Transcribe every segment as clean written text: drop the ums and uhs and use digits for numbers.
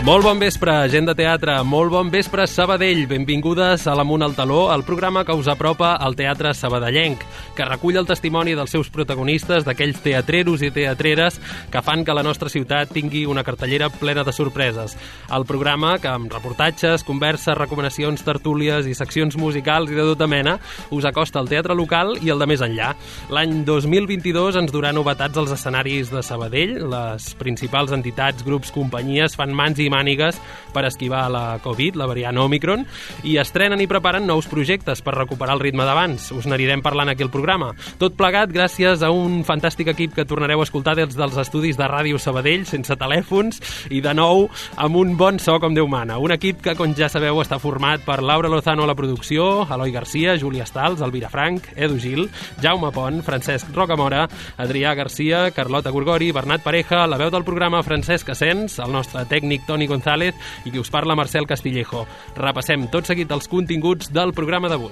Molt bon vespre, gent de teatre, molt bon vespre, Sabadell. Benvingudes a l'Amunt al Taló, el programa que us apropa al teatre sabadellenc, que recull el testimoni dels seus protagonistes, d'aquells teatreros i teatreres que fan que la nostra ciutat tingui una cartellera plena de sorpreses. El programa que, amb reportatges, converses, recomanacions, tertúlies i seccions musicals i de tota mena, us acosta al teatre local i el de més enllà. L'any 2022 ens durà novetats als escenaris de Sabadell. Les principals entitats, grups, companyies fan mans i mànigues per esquivar la Covid, la variant Omicron, i estrenen i preparen nous projectes per recuperar el ritme d'abans. Us n'anirem parlant aquí al programa. Tot plegat gràcies a un fantàstic equip que tornareu a escoltar des dels estudis de Ràdio Sabadell, sense telèfons, i de nou amb un bon so com Déu mana. Un equip que, com ja sabeu, està format per Laura Lozano a la producció, Eloi Garcia, Júlia Stals, Elvira Frank, Edu Gil, Jaume Pont, Francesc Rocamora, Adrià Garcia, Carlota Gorgori, Bernat Pareja, la veu del programa Francesc Asens, el nostre tècnic Toni González i qui us parla Marcel Castillejo. Repassem tot seguit els continguts del programa d'avui.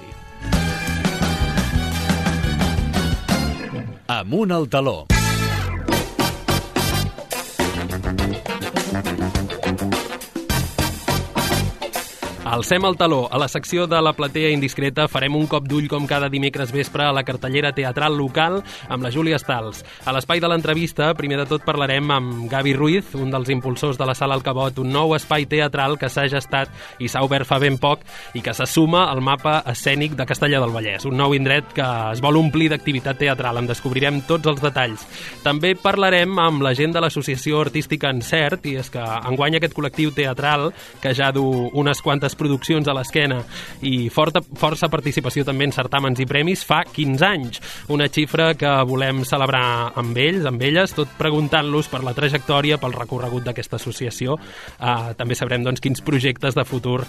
Amunt al taló. Alcem el taló. A la secció de la platea indiscreta farem un cop d'ull com cada dimecres vespre a la cartellera teatral local amb la Júlia Stals. A l'espai de l'entrevista, primer de tot parlarem amb Gavi Ruiz, un dels impulsors de la Sala al Cabot, un nou espai teatral que s'ha gestat i s'ha obert fa ben poc i que se suma al mapa escènic de Castellar del Vallès, un nou indret que es vol omplir d'activitat teatral. En descobrirem tots els detalls. També parlarem amb la gent de l'Associació Artística Encert, i és que enguany aquest col·lectiu teatral, que ja du unes quantes produccions a l'esquena i força participació també en certàmens i premis, fa 15 anys. Una xifra que volem celebrar amb ells, amb elles, tot preguntant-los per la trajectòria, pel recorregut d'aquesta associació. També sabrem doncs, quins projectes de futur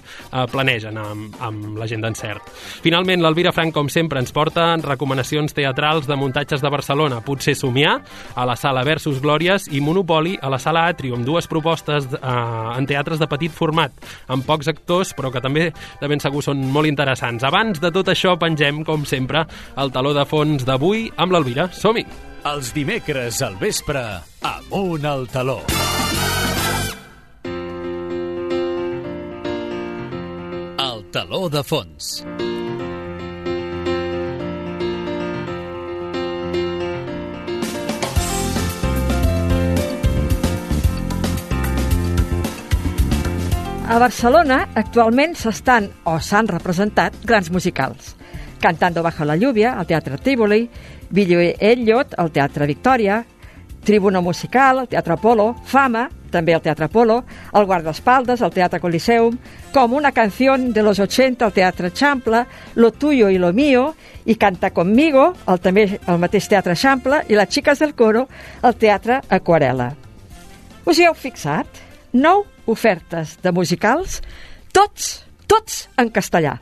planegen amb la gent d'Encert. Finalment, l'Elvira Frank, com sempre, ens porta recomanacions teatrals de muntatges de Barcelona. Potser somiar, a la Sala Versus Glòries, i Monopoli, a la Sala Atrium. Dues propostes en teatres de petit format, amb pocs actors, però que també de ben segur són molt interessants. Abans de tot això, pengem, com sempre, el taló de fons d'avui amb l'Elvira. Som-hi! Els dimecres al vespre, Amunt al taló. El taló de fons. A Barcelona actualment s'estan o s'han representat grans musicals. Cantando bajo la lluvia, al Teatre Tívoli, Billy Elliot, al Teatre Victòria, Tribuna Musical, al Teatre Apolo, Fama, també al Teatre Apolo, el Guardaespaldas, al Teatre Coliseum, Com una canción de los 80, al Teatre Champla, Lo tuyo y lo mío, i Canta conmigo, també al mateix Teatre Champla, i Les xiques del coro, al Teatre Aquarela. Us hi heu fixat? 9 ofertes de musicals, tots en castellà.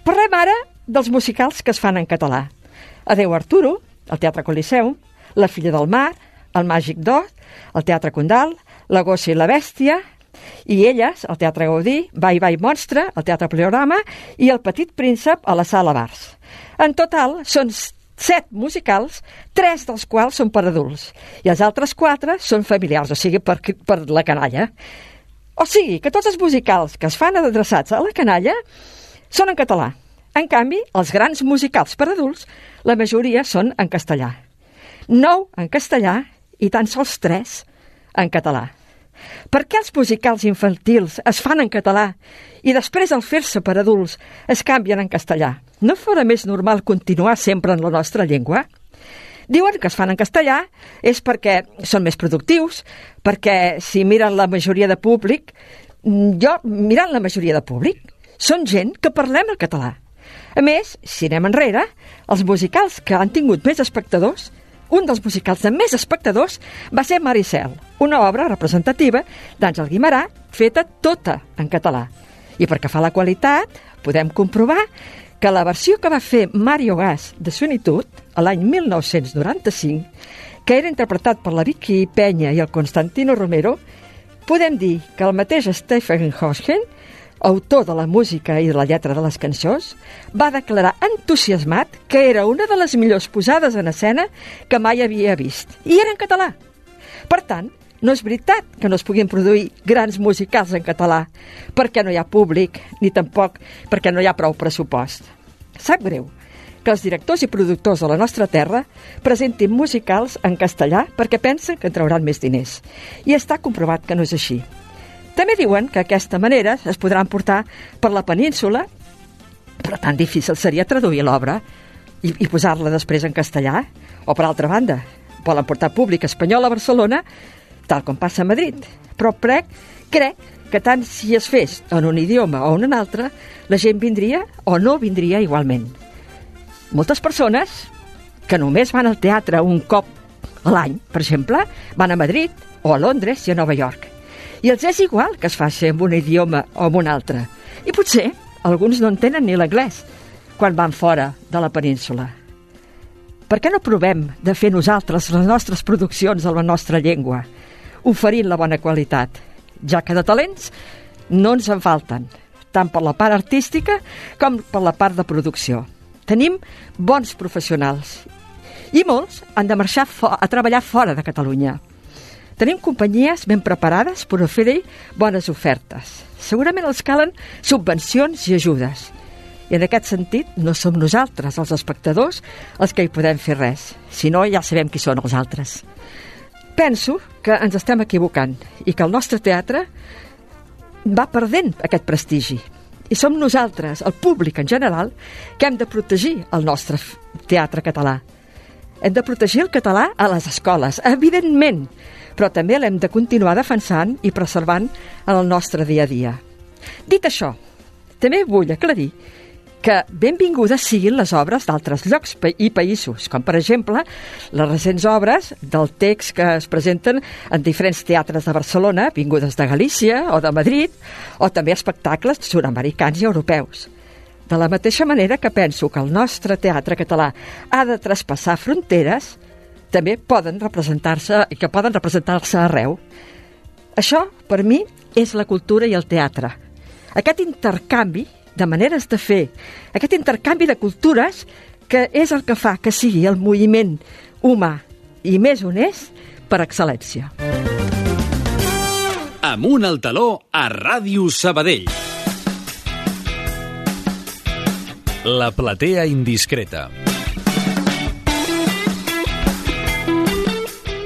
Parlem ara dels musicals que es fan en català. Adeu Arturo, al Teatre Coliseum, La filla del mar, El màgic d'Oz, al Teatre Condal, La gossa i la bèstia, i elles, al Teatre Gaudí, Vai Vai monstre, al Teatre Pleorama, i El petit príncep a la Sala Bars. En total, són 7 musicals, 3 dels quals són per adults, i els altres 4 són familiars, o sigui, per la canalla. O sigui, que tots els musicals que es fan adreçats a la canalla són en català. En canvi, els grans musicals per adults, la majoria són en castellà. 9 en castellà i tan sols 3 en català. Per què els musicals infantils es fan en català i després al fer-se per adults es canvien en castellà? No fora més normal continuar sempre en la nostra llengua? Diuen que es fan en castellà és perquè són més productius, perquè si miren la majoria de públic, mirant la majoria de públic, són gent que parlem el català. A més, si anem enrere, els musicals que han tingut més espectadors, un dels musicals de més espectadors va ser Maricel, una obra representativa d'Àngel Guimerà feta tota en català. I perquè fa la qualitat, podem comprovar que la versió que va fer Mario Gas de Solitud a l'any 1995, que era interpretat per la Vicky Peña i el Constantino Romero, podem dir que el mateix Stephen Hawking, autor de la música i de la lletra de les cançons, va declarar entusiasmat que era una de les millors posades en escena que mai havia vist. I era en català. Per tant, No és veritat que no es puguin produir grans musicals en català, perquè no hi ha públic, ni tampoc perquè no hi ha prou pressupost. Sap greu que els directors i productors de la nostra terra presentin musicals en castellà perquè pensen que en trauran més diners. I està comprovat que no és així. També diuen que d'aquesta manera es podran portar per la península, però tan difícil seria traduir l'obra i posar-la després en castellà. O, per altra banda, volen portar públic espanyol a Barcelona, tal com passa a Madrid. Però crec que tant si es fes en un idioma o en un altre, la gent vindria o no vindria igualment. Moltes persones que només van al teatre un cop a l'any, per exemple, van a Madrid o a Londres i a Nova York. I els és igual que es faci en un idioma o en un altre. I potser alguns no entenen ni l'anglès quan van fora de la península. Per què no provem de fer nosaltres les nostres produccions en la nostra llengua, oferint la bona qualitat, ja que de talents no ens en falten, tant per la part artística com per la part de producció. Tenim bons professionals i molts han de marxar a treballar fora de Catalunya. Tenim companyies ben preparades per oferir bones ofertes. Segurament els calen subvencions i ajudes. I en aquest sentit no som nosaltres, els espectadors, els que hi podem fer res. Si no, ja sabem qui són els altres. Penso que ens estem equivocant i que el nostre teatre va perdent aquest prestigi. I som nosaltres, el públic en general, que hem de protegir el nostre teatre català. Hem de protegir el català a les escoles, evidentment, però també l'hem de continuar defensant i preservant en el nostre dia a dia. Dit això, també vull aclarir que benvingudes siguin les obres d'altres llocs i països, com per exemple les recents obres del text que es presenten en diferents teatres de Barcelona, vingudes de Galícia o de Madrid, o també espectacles sud-americans i europeus. De la mateixa manera que penso que el nostre teatre català ha de traspassar fronteres, també poden representar-se arreu. Això, per mi, és la cultura i el teatre. Aquest intercanvi de maneres de fer, aquest intercanvi de cultures que és el que fa que sigui el moviment humà i més honest per excel·lència. Amunt al taló a Ràdio Sabadell. La platea indiscreta.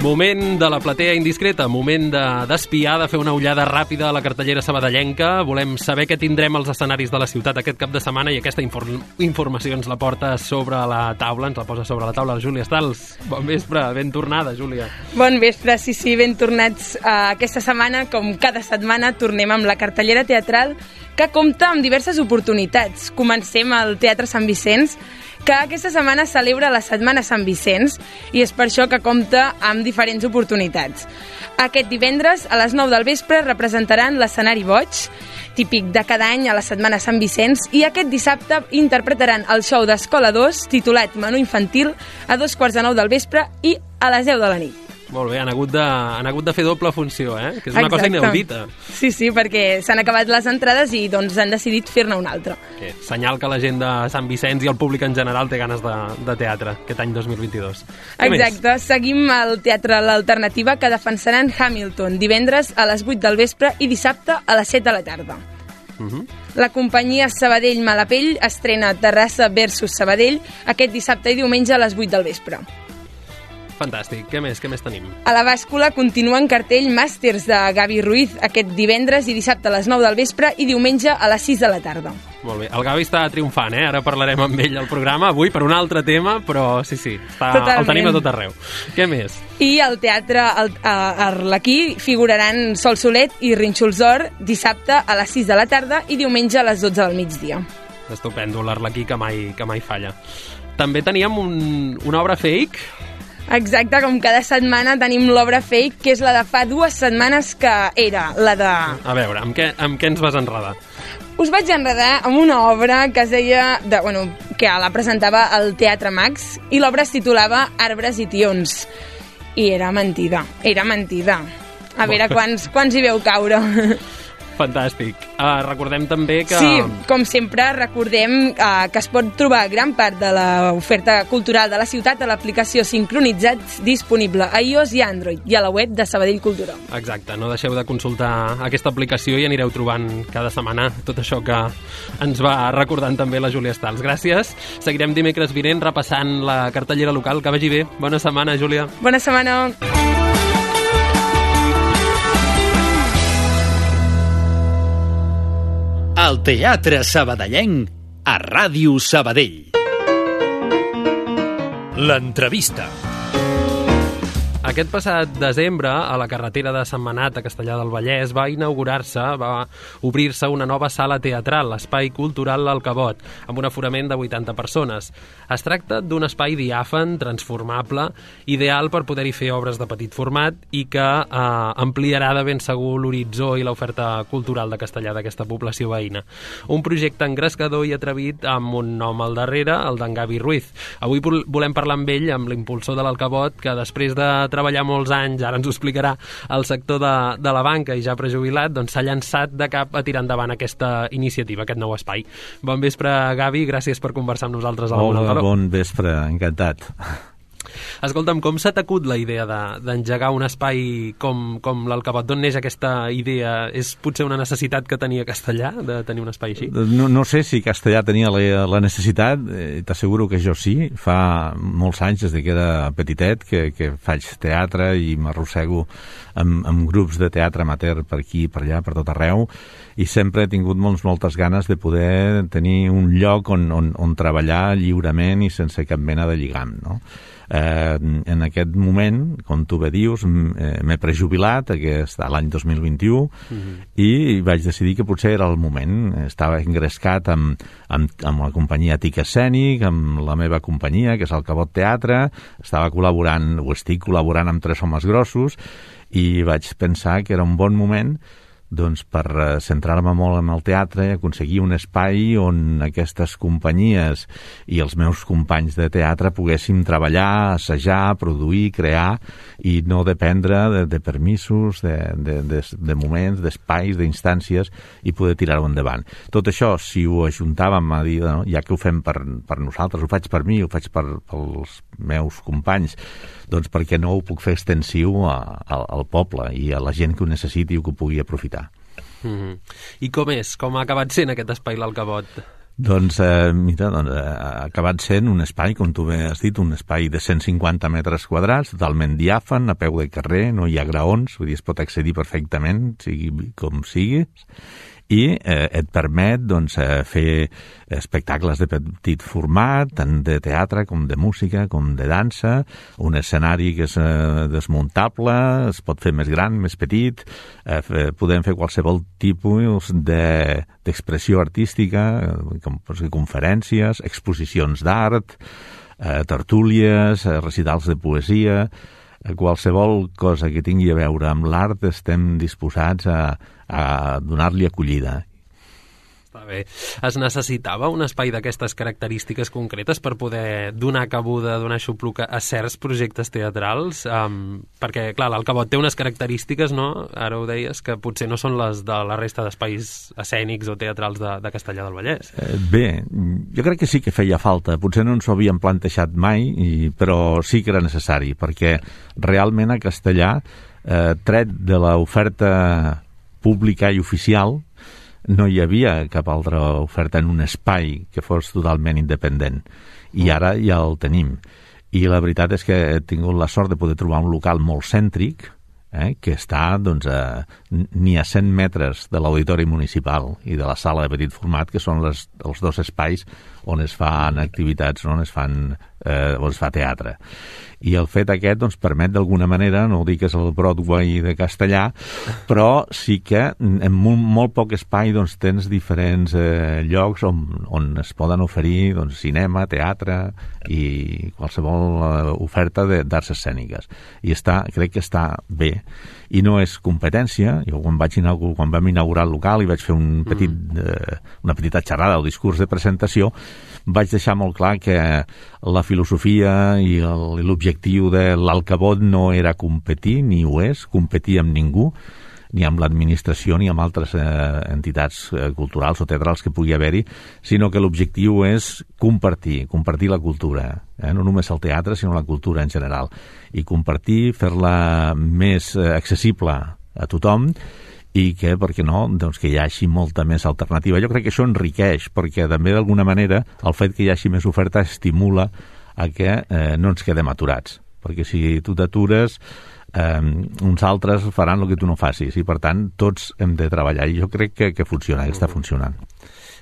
Moment de la platea indiscreta, moment d'espiar, de fer una ullada ràpida a la cartellera sabadellenca. Volem saber què tindrem als escenaris de la ciutat aquest cap de setmana i aquesta informació ens la porta sobre la taula, ens la posa sobre la taula la Júlia Stals. Bon vespre, ben tornada, Júlia. Bon vespre, sí, ben tornats. Aquesta setmana, com cada setmana, tornem amb la cartellera teatral que compta amb diverses oportunitats. Comencem al Teatre Sant Vicenç, que aquesta setmana celebra la Setmana Sant Vicenç i és per això que compta amb diferents oportunitats. Aquest divendres, a les 9 del vespre, representaran l'Escenari Boig, típic de cada any a la Setmana Sant Vicenç, i aquest dissabte interpretaran el show d'Escola 2, titulat Menú Infantil, a 2:45 del vespre i a les 10 de la nit. Molt bé, han hagut de fer doble funció, que és una cosa inaudita. Sí, perquè s'han acabat les entrades i doncs han decidit fer-ne una altra. Senyal que la gent de Sant Vicenç i el públic en general té ganes de teatre aquest any 2022. Exacte, seguim al Teatre L'Alternativa, que defensaran Hamilton divendres a les 8 del vespre i dissabte a les 7 de la tarda. La companyia Sabadell Malapell estrena Terrassa versus Sabadell aquest dissabte i diumenge a les 8 del vespre. Fantàstic. Què més tenim? A la bàscula continua en cartell Màsters de Gavi Ruiz aquest divendres i dissabte a les 9 del vespre i diumenge a les 6 de la tarda. Molt bé. El Gavi està triomfant, Ara parlarem amb ell al programa, avui per un altre tema, però sí, el tenim a tot arreu. Què més? I al Teatre Arlequí figuraran Sol Solet i Rínxols d'Or dissabte a les 6 de la tarda i diumenge a les 12 del migdia. Estupendo, l'Arlequí que mai falla. També teníem una obra fake. Exacte, com cada setmana tenim l'obra fake, que és la de fa 2 setmanes, que era la de... A veure, amb què ens vas enredar? Us vaig enredar amb una obra que es deia... que la presentava al Teatre Max, i l'obra es titulava Arbres i tions. I era mentida. A veure, quants hi veu caure. Fantàstic. Recordem també que... Sí, com sempre, recordem que es pot trobar gran part de l'oferta cultural de la ciutat a l'aplicació Sincronitzats disponible a iOS i Android i a la web de Sabadell Cultura. Exacte, no deixeu de consultar aquesta aplicació i anireu trobant cada setmana tot això que ens va recordant també la Júlia Stals. Gràcies. Seguirem dimecres vinent repassant la cartellera local. Que vagi bé. Bona setmana, Júlia. Bona setmana. El Teatre Sabadellenc a Ràdio Sabadell. L'entrevista. Aquest passat desembre, a la carretera de Sentmenat, a Castellar del Vallès, va obrir-se una nova sala teatral, l'Espai Cultural L'Alcabot, amb un aforament de 80 persones. Es tracta d'un espai diàfan, transformable, ideal per poder-hi fer obres de petit format i que ampliarà de ben segur l'horitzó i l'oferta cultural de Castellar, d'aquesta població veïna. Un projecte engrescador i atrevit amb un nom al darrere, el d'en Gavi Ruiz. Avui volem parlar amb ell, amb l'impulsor de l'Alcabot, que després de treballar molts anys, ara ens ho explicarà, al sector de la banca i ja prejubilat, doncs s'ha llançat de cap a tirar endavant aquesta iniciativa, aquest nou espai. Bon vespre, Gavi, gràcies per conversar amb nosaltres. Hola, bon vespre, encantat. Escolta'm, com s'ha t'acut la idea d'engegar un espai com l'Alcabot? D'on neix aquesta idea? És potser una necessitat que tenia Castellar, de tenir un espai així? No sé si Castellar tenia la necessitat, t'asseguro que jo sí. Fa molts anys, des que era petitet, que faig teatre i m'arrossego amb grups de teatre amateur per aquí, per allà, per tot arreu, i sempre he tingut moltes ganes de poder tenir un lloc on treballar lliurement i sense cap mena de lligam, no? En aquest moment, com tu bé dius, m'he prejubilat l'any 2021 i vaig decidir que potser era el moment. Estava engrescat amb la companyia TIC Escènic, amb la meva companyia, que és el Cabot Teatre. Estava col·laborant, o estic col·laborant amb 3 homes grossos, i vaig pensar que era un bon moment doncs per centrar-me molt en el teatre i aconseguir un espai on aquestes companyies i els meus companys de teatre poguéssim treballar, assajar, produir, crear i no dependre de permisos, de moments, d'espais, d'instàncies i poder tirar-ho endavant. Tot això, si ho ajuntàvem a dir, no, ja que ho fem per nosaltres, ho faig per mi, ho faig pels meus companys, doncs perquè no ho puc fer extensiu al poble i a la gent que ho necessiti o que ho pugui aprofitar. I com és? Com ha acabat sent aquest espai l'Alcabot? Doncs, mira, ha acabat sent un espai, com tu bé has dit, un espai de 150 metres quadrats, totalment diàfan, a peu de carrer, no hi ha graons, vull dir, es pot accedir perfectament, sigui com sigui, i et permet doncs, fer espectacles de petit format, tant de teatre com de música, com de dansa, un escenari que és desmuntable, es pot fer més gran, més petit, podem fer qualsevol tipus d'expressió artística, com conferències, exposicions d'art, tertúlies, recitals de poesia, qualsevol cosa que tingui a veure amb l'art estem disposats a donar-li acollida. Està bé. Es necessitava un espai d'aquestes característiques concretes per poder donar cabuda, donar xupluc a certs projectes teatrals? Perquè, clar, l'Alcabot té unes característiques, no? Ara ho deies, que potser no són les de la resta d'espais escènics o teatrals de Castellar del Vallès. Bé, jo crec que sí que feia falta. Potser no ens ho havíem plantejat mai, però sí que era necessari, perquè realment a Castellar, tret de l'oferta pública i oficial, no hi havia cap altra oferta en un espai que fos totalment independent. I ara ja el tenim. I la veritat és que he tingut la sort de poder trobar un local molt cèntric, que està doncs, ni a 100 metres de l'auditori municipal i de la sala de petit format, que són els 2 espais on es fan activitats, on es fa teatre. I el fet aquest doncs, permet d'alguna manera, no ho dic que és el Broadway de Castellar, però sí que en molt poc espai doncs, tens diferents llocs on es poden oferir doncs, cinema, teatre i qualsevol oferta d'arts escèniques. I crec que està bé. I no és competència. Jo quan vam inaugurar el local i vaig fer una petita xerrada o discurs de presentació, vaig deixar molt clar que la filosofia i l'objectiu de l'Alcabot no era competir, ni ho és, competir amb ningú. ni amb l'administració ni amb altres entitats culturals o teatrals que pugui haver-hi, sinó que l'objectiu és compartir la cultura, no només el teatre, sinó la cultura en general, i compartir, fer-la més accessible a tothom, i que, per què no, doncs que hi hagi molta més alternativa. Jo crec que això enriqueix, perquè també d'alguna manera el fet que hi hagi més oferta estimula a que no ens quedem aturats, perquè si tu t'atures uns altres faran el que tu no facis, i per tant tots hem de treballar, i jo crec que funciona, que està funcionant.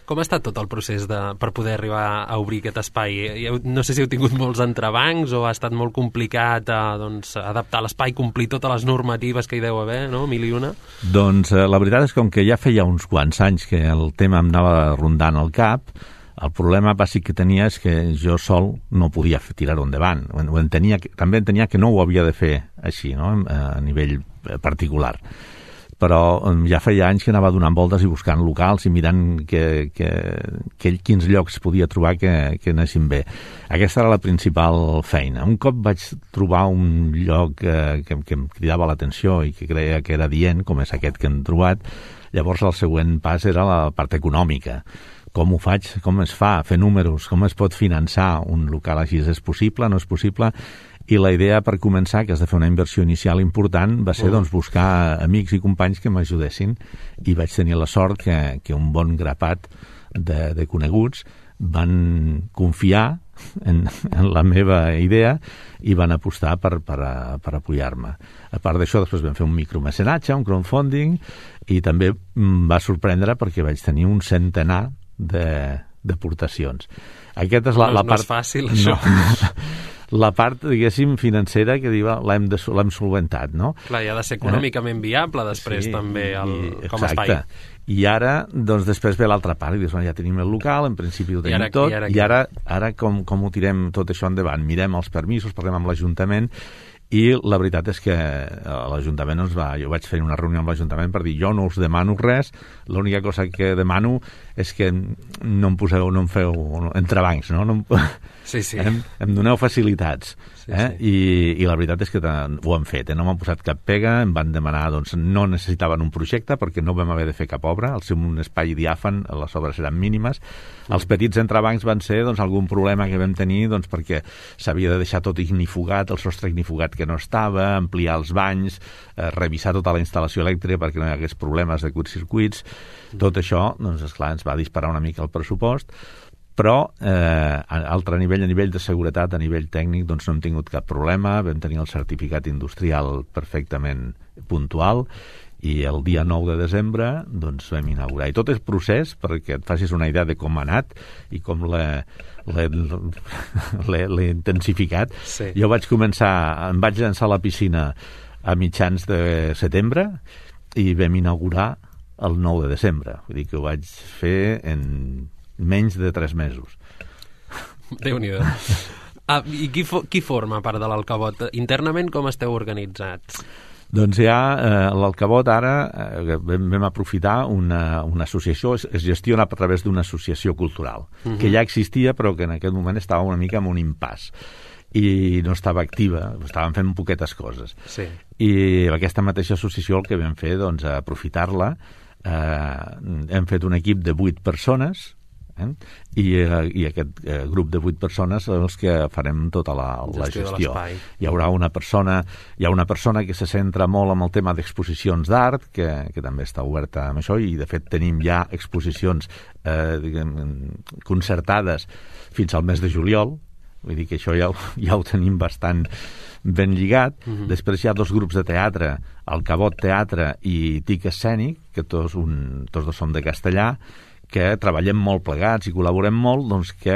Com ha estat tot el procés per poder arribar a obrir aquest espai? No sé si heu tingut molts entrebancs o ha estat molt complicat adaptar l'espai, complir totes les normatives que hi deu haver, no? 1001? Doncs la veritat és que com que ja feia uns quants anys que el tema em anava rondant al cap, el problema bàsic que tenia és que jo sol no podia tirar-ho endavant. També entenia que no ho havia de fer així, no? A nivell particular. Però ja feia anys que anava donant voltes i buscant locals i mirant quins llocs podia trobar que anessin bé. Aquesta era la principal feina. Un cop vaig trobar un lloc que em cridava l'atenció i que creia que era adient, com és aquest que hem trobat, llavors el següent pas era la part econòmica. Com ho faig? Com es fa? Fer números? Com es pot finançar un local així? És possible? No és possible? I la idea per començar, que has de fer una inversió inicial important, va ser buscar amics i companys que m'ajudessin, i vaig tenir la sort que un bon grapat de coneguts van confiar en la meva idea i van apostar per apoyar-me. A part d'això, després vam fer un micromecenatge, un crowdfunding, i també em va sorprendre perquè vaig tenir un centenar d'aportacions. Aquesta és la part... No és fàcil, això. No. La part, diguéssim, financera que l'hem solventat, no? Clar, i ha de ser econòmicament viable després també com a espai. Exacte. I ara, doncs, després ve l'altra part, i dius, ja tenim el local, en principi ho tenim tot, i ara com ho tirem tot això endavant? Mirem els permisos, parlem amb l'Ajuntament, i la veritat és que l'Ajuntament jo vaig fer una reunió amb l'Ajuntament per dir, jo no us demano res, l'única cosa que demano és que no em feu entrebancs, no? Sí. Em doneu facilitats. I la veritat és que ho han fet, no m'han posat cap pega, em van demanar, doncs no necessitaven un projecte perquè no vam haver de fer cap obra, al ser un espai diàfan les obres eren mínimes. Els petits entrebancs van ser algun problema que vam tenir perquè s'havia de deixar tot ignifugat, el sostre ignifugat que no estava, ampliar els banys, revisar tota la instal·lació elèctrica perquè no hi hagués problemes de curtcircuits. Tot això, doncs esclar, ens va disparar una mica el pressupost, però a nivell de seguretat, a nivell tècnic, doncs no hem tingut cap problema, vam tenir el certificat industrial perfectament puntual, i el dia 9 de desembre doncs vam inaugurar. I tot és procés, perquè et facis una idea de com ha anat i com l'he intensificat. Sí. Jo em vaig llançar a la piscina a mitjans de setembre i vam inaugurar el 9 de desembre. Vull dir que ho vaig fer en menys de 3 mesos. Déu-n'hi-do. I qui forma part de l'Alcavot? Internament com esteu organitzats? Doncs ja l'Alcavot ara vam aprofitar una associació, es gestiona a través d'una associació cultural, que ja existia però que en aquest moment estava una mica en un impàs i no estava activa, estàvem fent poquetes coses. Sí. I aquesta mateixa associació el que vam fer, doncs, aprofitar-la, hem fet un equip de 8 persones, i aquest grup de 8 persones són els que farem tota la gestió. Hi ha una persona que se centra molt en el tema d'exposicions d'art, que també està oberta amb això, i de fet tenim ja exposicions concertades fins al mes de juliol. Vull dir que això ja ho tenim bastant ben lligat. Després hi ha 2 grups de teatre, Alcavot Teatre i TIC Escènic, que tots dos som de Castellà, que treballem molt plegats i col·laborem molt, doncs que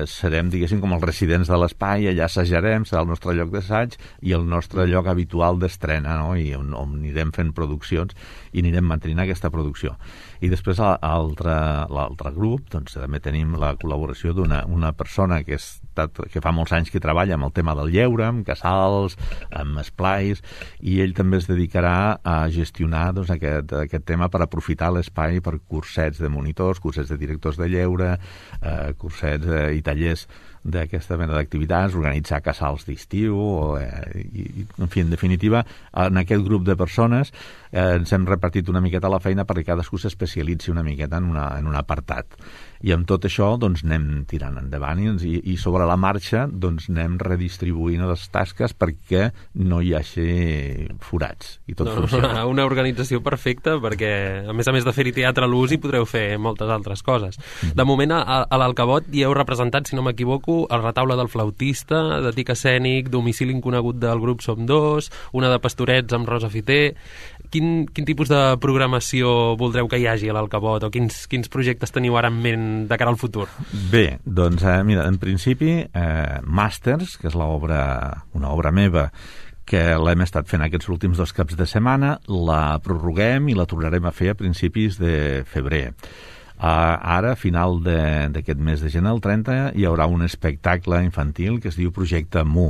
serem, diguéssim, com els residents de l'espai, allà assajarem, serà el nostre lloc d'assaig i el nostre lloc habitual d'estrena, no? I on anirem fent produccions i anirem mantenint aquesta producció. I després l'altre grup, doncs també tenim la col·laboració d'una persona que està que fa molts anys que treballa amb el tema del lleure, amb casals, amb esplais, i ell també es dedicarà a gestionar doncs, aquest tema per aprofitar l'espai per cursets de monitors, cursets de directors de lleure, cursets i tallers d'aquesta mena d'activitats, organitzar casals d'estiu, en fi, en definitiva, en aquest grup de persones ens hem repartit una miqueta la feina perquè cadascú s'especialitzi una miqueta en un apartat. I amb tot això doncs, anem tirant endavant i sobre la marxa doncs, anem redistribuint les tasques perquè no hi hagi forats i tot funciona. Una organització perfecta perquè, a més de fer-hi teatre a l'ús, hi podreu fer moltes altres coses. De moment, a l'Alcavot hi heu representat, si no m'equivoco, el retaule del flautista, de tic escènic, domicili inconegut del grup Som Dos, una de pastorets amb Rosa Fiter. Quin tipus de programació voldreu que hi hagi a l'Alcavot o quins projectes teniu ara en ment de cara al futur? Bé, doncs mira, en principi Màsters, que és una obra meva que l'hem estat fent aquests últims 2 caps de setmana, la prorroguem i la tornarem a fer a principis de febrer. Ara, a final d'aquest mes de gener, el 30, hi haurà un espectacle infantil que es diu Projecte Mu.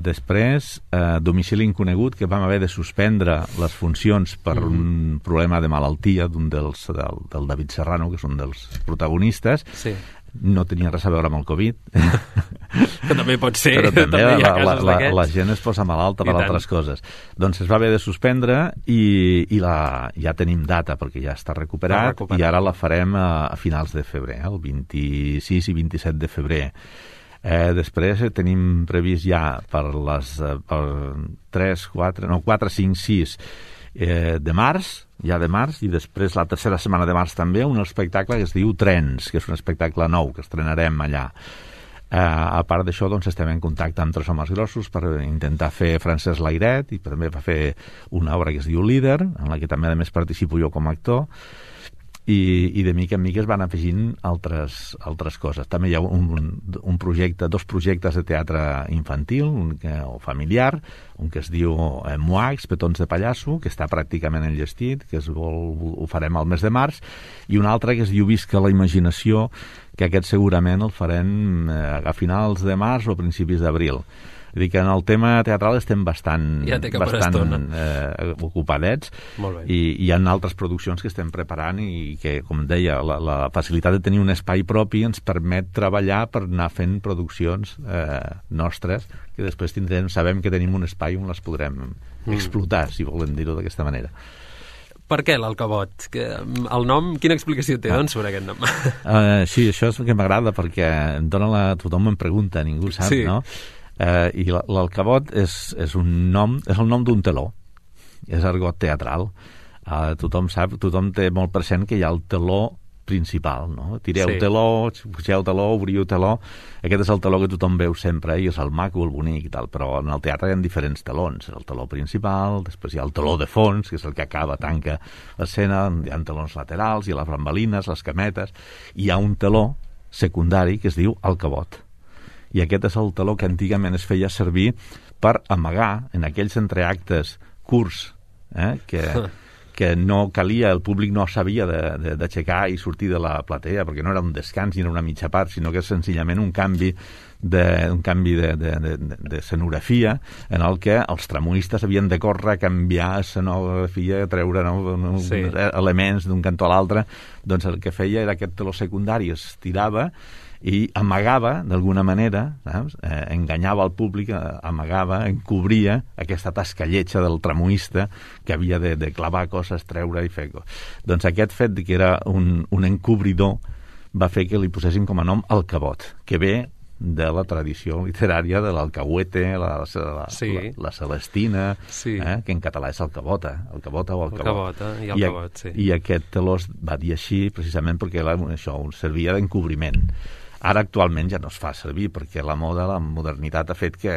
Després, Domicili inconegut, que vam haver de suspendre les funcions per un problema de malaltia del David Serrano, que és un dels protagonistes. Sí. No tenia res a veure amb el Covid. Que també pot ser. Però també hi ha casos d'aquests. la gent es posa malalta per altres coses. Doncs es va haver de suspendre i ja tenim data perquè ja està recuperat i ara la farem a finals de febrer, el 26 i 27 de febrer. Després tenim previst ja per 4, 5, 6 de març, i després la tercera setmana de març també un espectacle que es diu Trens, que és un espectacle nou que estrenarem allà. A part d'això, doncs, estem en contacte amb 3 homes grossos per intentar fer Francesc Lairet i també va fer una obra que es diu Líder, en la que també a més participo jo com a actor. I de mica en mica es van afegint altres coses. També hi ha un projecte, 2 projectes de teatre infantil o familiar, un que es diu Moax, Petons de Pallasso, que està pràcticament enllestit, que ho farem al mes de març, i un altre que es diu Visca la imaginació, que aquest segurament el farem a finals de març o a principis d'abril. Vull dir que en el tema teatral estem bastant ocupadets i hi ha altres produccions que estem preparant i que, com deia, la facilitat de tenir un espai propi ens permet treballar per anar fent produccions nostres que després sabem que tenim un espai on les podrem explotar, si volem dir-ho d'aquesta manera. Per què l'Alcavot? El nom, quina explicació té, doncs, sobre aquest nom? Sí, això és el que m'agrada perquè tothom em pregunta, ningú sap, no? I l'Alcavot és el nom d'un teló, és argot teatral. Tothom té molt present que hi ha el teló principal, no? Tireu teló, pugeu teló, obriu teló. Aquest és el teló que tothom veu sempre i és el maco, el bonic i tal, però en el teatre hi ha diferents telons. El teló principal, després hi ha el teló de fons, que és el que tanca l'escena, hi ha telons laterals, hi ha les bambalines, les cametes, i hi ha un teló secundari que es diu Alcavot. I aquest és el teló que antigament es feia servir per amagar en aquells entreactes curts que no calia, el públic no s'havia d'aixecar i sortir de la platea perquè no era un descans ni era una mitja part, sinó que és senzillament un canvi de escenografia en el que els tramoistes havien de córrer a canviar escenografia, treure elements d'un cantó a l'altre. Doncs el que feia era aquest teló secundari es tirava i amagava, d'alguna manera, enganyava el públic, amagava, encobria aquesta tasca lletja del tramoista que havia de clavar coses, treure i fer coses. Doncs aquest fet que era un encobridor va fer que li posessin com a nom Alcavot, que ve de la tradició literària de l'alcahuete, la Celestina, que en català és alcavota o alcavot. I aquest teló es va dir així precisament perquè això servia d'encobriment. Ara actualment ja no es fa servir perquè la modernitat ha fet que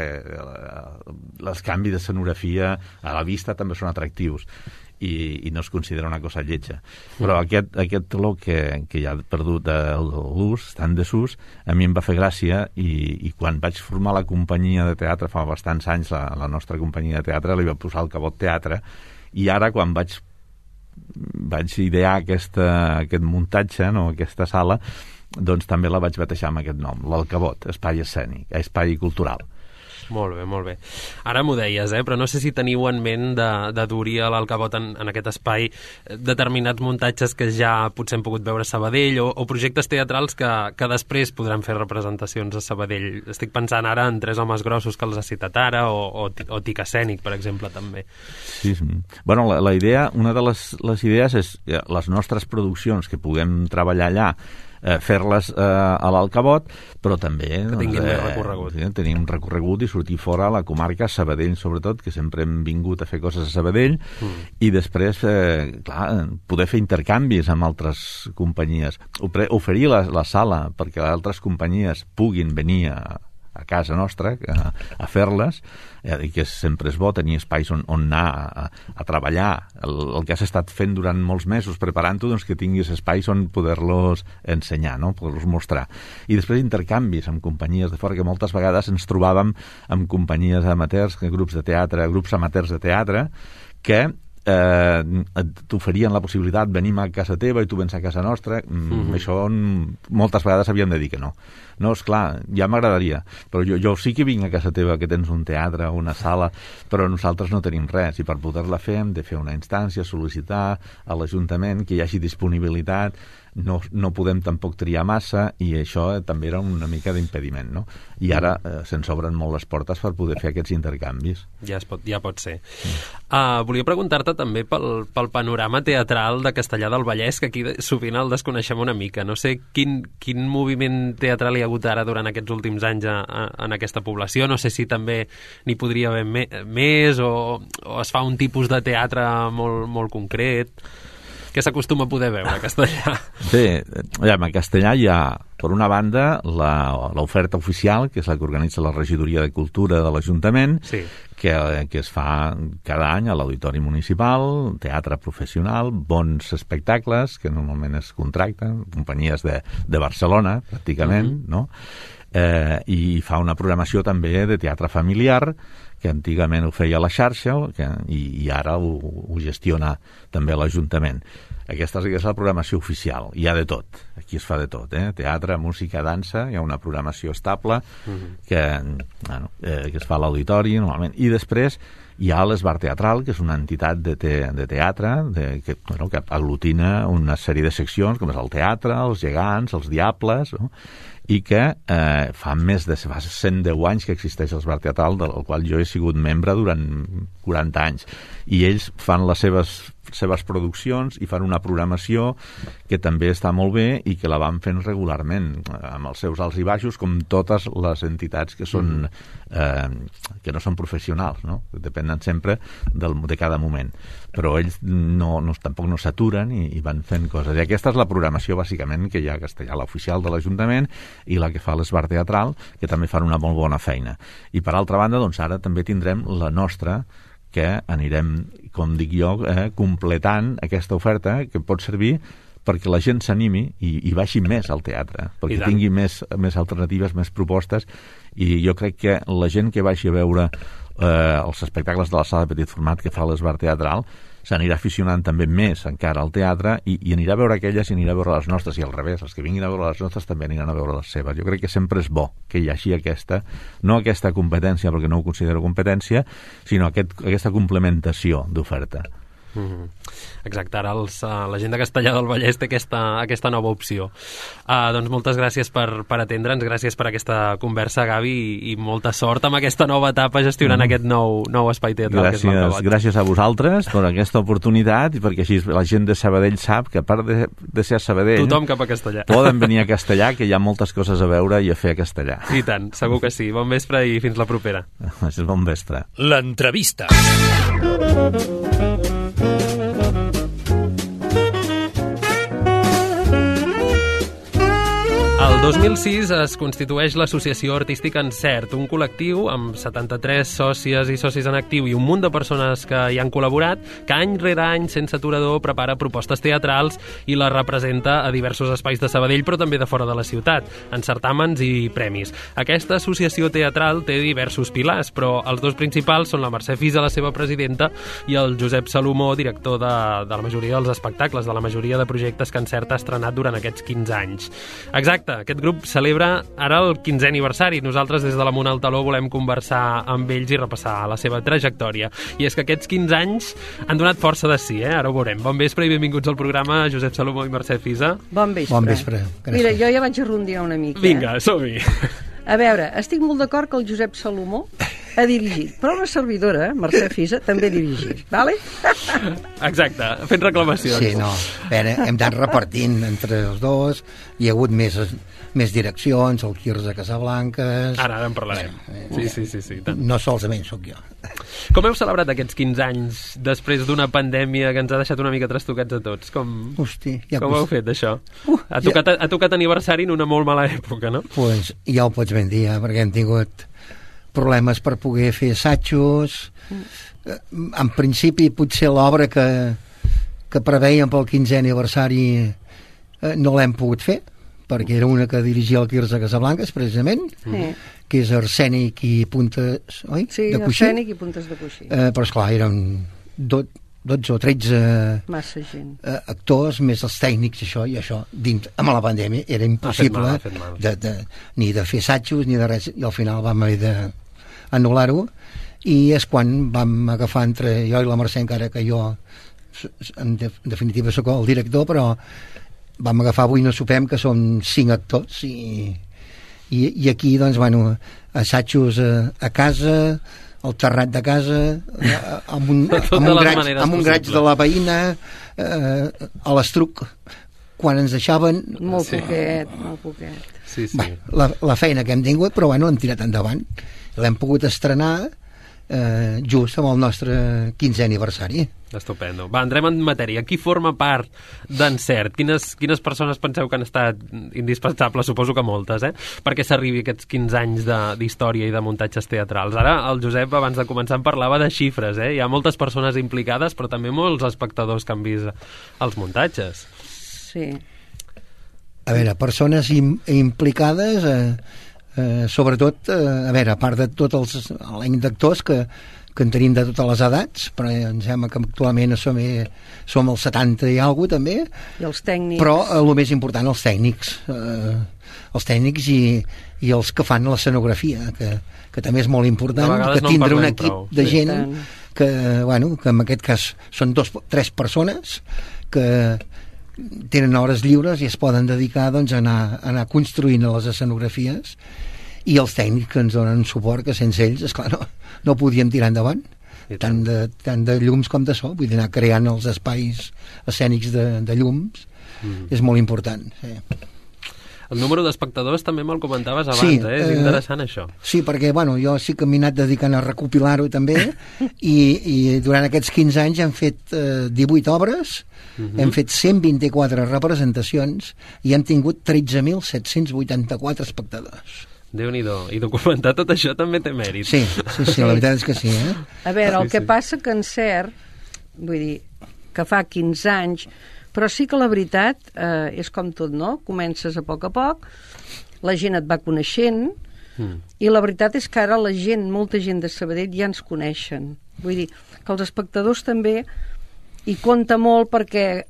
els canvis d'escenografia a la vista també són atractius i no es considera una cosa lletja. Però aquest teló que ja ha perdut l'ús, està en desús, a mi em va fer gràcia i quan vaig formar la companyia de teatre fa bastants anys, la nostra companyia de teatre, li va posar Alcavot Teatre, i ara quan vaig idear aquest muntatge, aquesta sala, doncs també la vaig batejar amb aquest nom, l'Alcavot, espai escènic, espai cultural. Molt bé, molt bé. Ara m'ho deies, però no sé si teniu en ment de dur-hi a l'Alcavot en aquest espai determinats muntatges que ja potser hem pogut veure a Sabadell o projectes teatrals que després podran fer representacions a Sabadell. Estic pensant ara en Tres homes grossos que els ha citat ara o Tic escènic, per exemple, també. Sí. Bueno, la idea, una de les idees és les nostres produccions que puguem treballar allà, fer-les a l'Alcavot, però també que tinguin més recorregut. Tenir un recorregut i sortir fora a la comarca, Sabadell sobretot, que sempre hem vingut a fer coses a Sabadell, i després poder fer intercanvis amb altres companyies, oferir la sala perquè altres companyies puguin venir a casa nostra a fer-les, i que sempre és bo tenir espais on anar a treballar el que has estat fent durant molts mesos preparant-ho, doncs que tinguis espais on poder-los ensenyar, no? Poder-los mostrar. I després intercanvis amb companyies de fora, que moltes vegades ens trobàvem amb companyies amateurs, grups amateurs de teatre, que t'oferien la possibilitat venim a casa teva i tu vens a casa nostra. Això moltes vegades havíem de dir que no. No, esclar, ja m'agradaria, però jo sí que vinc a casa teva, que tens un teatre o una sala, però nosaltres no tenim res, i per poder-la fer hem de fer una instància, sol·licitar a l'Ajuntament que hi hagi disponibilitat, no podem tampoc triar massa, i això també era una mica d'impediment, no? I ara se'ns obren molt les portes per poder fer aquests intercanvis. Ja pot ser. Volia preguntar-te també pel panorama teatral de Castellar del Vallès, que aquí sovint el desconeixem una mica. No sé quin moviment teatral hi ha hagut ara durant aquests últims anys en aquesta població. No sé si també n'hi podria haver més o es fa un tipus de teatre molt concret. Què s'acostuma a poder veure a Castellar? Bé, a Castellar hi ha, per una banda, l'oferta oficial, que és la que organitza la Regidoria de Cultura de l'Ajuntament, sí, que es fa cada any a l'Auditori Municipal, teatre professional, bons espectacles, que normalment es contracten, companyies de Barcelona, pràcticament, no? I fa una programació també de teatre familiar, que antigament ho feia la xarxa i ara ho gestiona també l'Ajuntament. Aquesta és la programació oficial. Hi ha de tot. Aquí es fa de tot. Teatre, música, dansa, hi ha una programació estable que es fa a l'auditori normalment. I després hi ha l'Esbar Teatral, que és una entitat de teatre que aglutina una sèrie de seccions, com és el teatre, els gegants, els diables, no? I que fa 110 anys que existeix l'Esbar Teatral, del qual jo he sigut membre durant 40 anys. I ells fan les seves produccions i fan una programació que també està molt bé i que la van fent regularment, amb els seus alts i baixos, com totes les entitats que són que no són professionals, no? Depenen sempre de cada moment. Però ells tampoc no s'aturen i van fent coses. I aquesta és la programació, bàsicament, que hi ha a Castellar, l'oficial de l'Ajuntament i la que fa l'Esbar Teatral, que també fan una molt bona feina. I per altra banda, doncs ara també tindrem la nostra, que anirem, com dic jo, completant aquesta oferta que pot servir perquè la gent s'animi i baixi més al teatre, perquè tingui més alternatives, més propostes, i jo crec que la gent que vagi a veure els espectacles de la sala de petit format que fa l'Esbar Teatral s'anirà aficionant també més encara al teatre i anirà a veure aquelles i anirà a veure les nostres, i al revés, els que vinguin a veure les nostres també aniran a veure les seves. Jo crec que sempre és bo que hi hagi no aquesta competència, perquè no ho considero competència, sinó aquesta complementació d'oferta. Exacte, ara la gent de Castellar del Vallès té aquesta nova opció. Doncs moltes gràcies per atendre'ns, gràcies per aquesta conversa, Gavi, i molta sort amb aquesta nova etapa gestionant aquest nou espai teatral. Gràcies a vosaltres per aquesta oportunitat, i perquè així la gent de Sabadell sap que a part de ser a Sabadell, tothom cap a Castellar. Poden venir a Castellar, que hi ha moltes coses a veure i a fer a Castellar. I tant, segur que sí. Bon vespre i fins la propera. Bon vespre. L'entrevista. El El 2006 es constitueix l'Associació Artística Encert, un col·lectiu amb 73 sòcies i socis en actiu i un munt de persones que hi han col·laborat, que any rere any, sense aturador, prepara propostes teatrals i les representa a diversos espais de Sabadell, però també de fora de la ciutat, en certàmens i premis. Aquesta associació teatral té diversos pilars, però els dos principals són la Mercè Fisa, la seva presidenta, i el Josep Salomó, director de la majoria dels espectacles, de la majoria de projectes que Encert ha estrenat durant aquests 15 anys. Exacte, aquest grup celebra ara el 15è aniversari. Nosaltres des de l'Amunt al Taló volem conversar amb ells i repassar la seva trajectòria. I és que aquests 15 anys han donat força de sí, ara ho veurem. Bon vespre i benvinguts al programa, Josep Salomó i Mercè Fisa. Bon vespre. Bon vespre. Mira, jo ja vaig arrondinar una mica. Vinga, som-hi. A veure, estic molt d'acord que el Josep Salomó ha dirigit, però una servidora, Mercè Fisa, també ha dirigit, vale? Exacte, fent reclamacions. Sí, no, a veure, hem anat repartint entre els dos, hi ha hagut més direccions, el Quirze Casablanques... Ara en parlarem. Sí. No solament sóc jo. Com heu celebrat aquests 15 anys després d'una pandèmia que ens ha deixat una mica trastocats a tots? Com heu fet, això? Ha tocat aniversari en una molt mala època, no? Pues ja ho pots ben dir, perquè hem tingut problemes per poder fer assajos. En principi, potser l'obra que preveiem pel 15è aniversari no l'hem pogut fer, perquè era una que dirigia el Quirze Casablanques, precisament, que és Arsènic i Puntes, oi? Sí, de Coixí. Arsènic i Puntes de Coixí. Però, esclar, eren 12 o 13 massa gent. Actors, més els tècnics, això dins, amb la pandèmia era impossible ni de fer assajos ni de res, i al final vam haver d'anul·lar-ho, i és quan vam agafar entre jo i la Mercè, encara que jo en definitiva sóc el director, però vam agafar Avui no sopem, que són 5 actors, i aquí, doncs, bueno, assajos a casa, al terrat de casa, amb un graig de la veïna, a l'estruc, quan ens deixaven... Molt poquet. Sí. Bé, la feina que hem tingut, però bueno, hem tirat endavant. L'hem pogut estrenar just amb el nostre 15è aniversari. Estupendo. Va, entrem en matèria. Qui forma part d'Encert? Quines persones penseu que han estat indispensables? Suposo que moltes, perquè s'arribi aquests 15 anys d'història i de muntatges teatrals. Ara el Josep, abans de començar, em parlava de xifres, Hi ha moltes persones implicades, però també molts espectadors que han vist els muntatges. Sí. A veure, persones implicades... sobretot, a veure, a part de tot l'any d'actors que en tenim de totes les edats, però em sembla que actualment som els 70 i alguna cosa també, i els tècnics, però el més important, els tècnics i els que fan l'escenografia, que també és molt important, que tindre un equip de gent que en aquest cas són 3 persones que tenen hores lliures i es poden dedicar, doncs, a anar construint les escenografies, i els tècnics que ens donen suport, que sense ells, esclar, no podíem tirar endavant, tant de llums com de so, vull dir, anar creant els espais escènics de llums, és molt important. Sí. El número d'espectadors també me'l comentaves abans, és interessant això. Sí, perquè jo sí que m'he anat dedicant a recopilar-ho també, i durant aquests 15 anys hem fet 18 obres, hem fet 124 representacions i hem tingut 13.784 espectadors. Déu-n'hi-do. I documentar tot això també té mèrit. Sí, la veritat és que sí. A veure, el que passa que Encert, vull dir, que fa 15 anys, però sí que la veritat és com tot, no? Comences a poc, la gent et va coneixent, i la veritat és que ara molta gent de Sabadell ja ens coneixen. Vull dir, que els espectadors també hi compta molt, perquè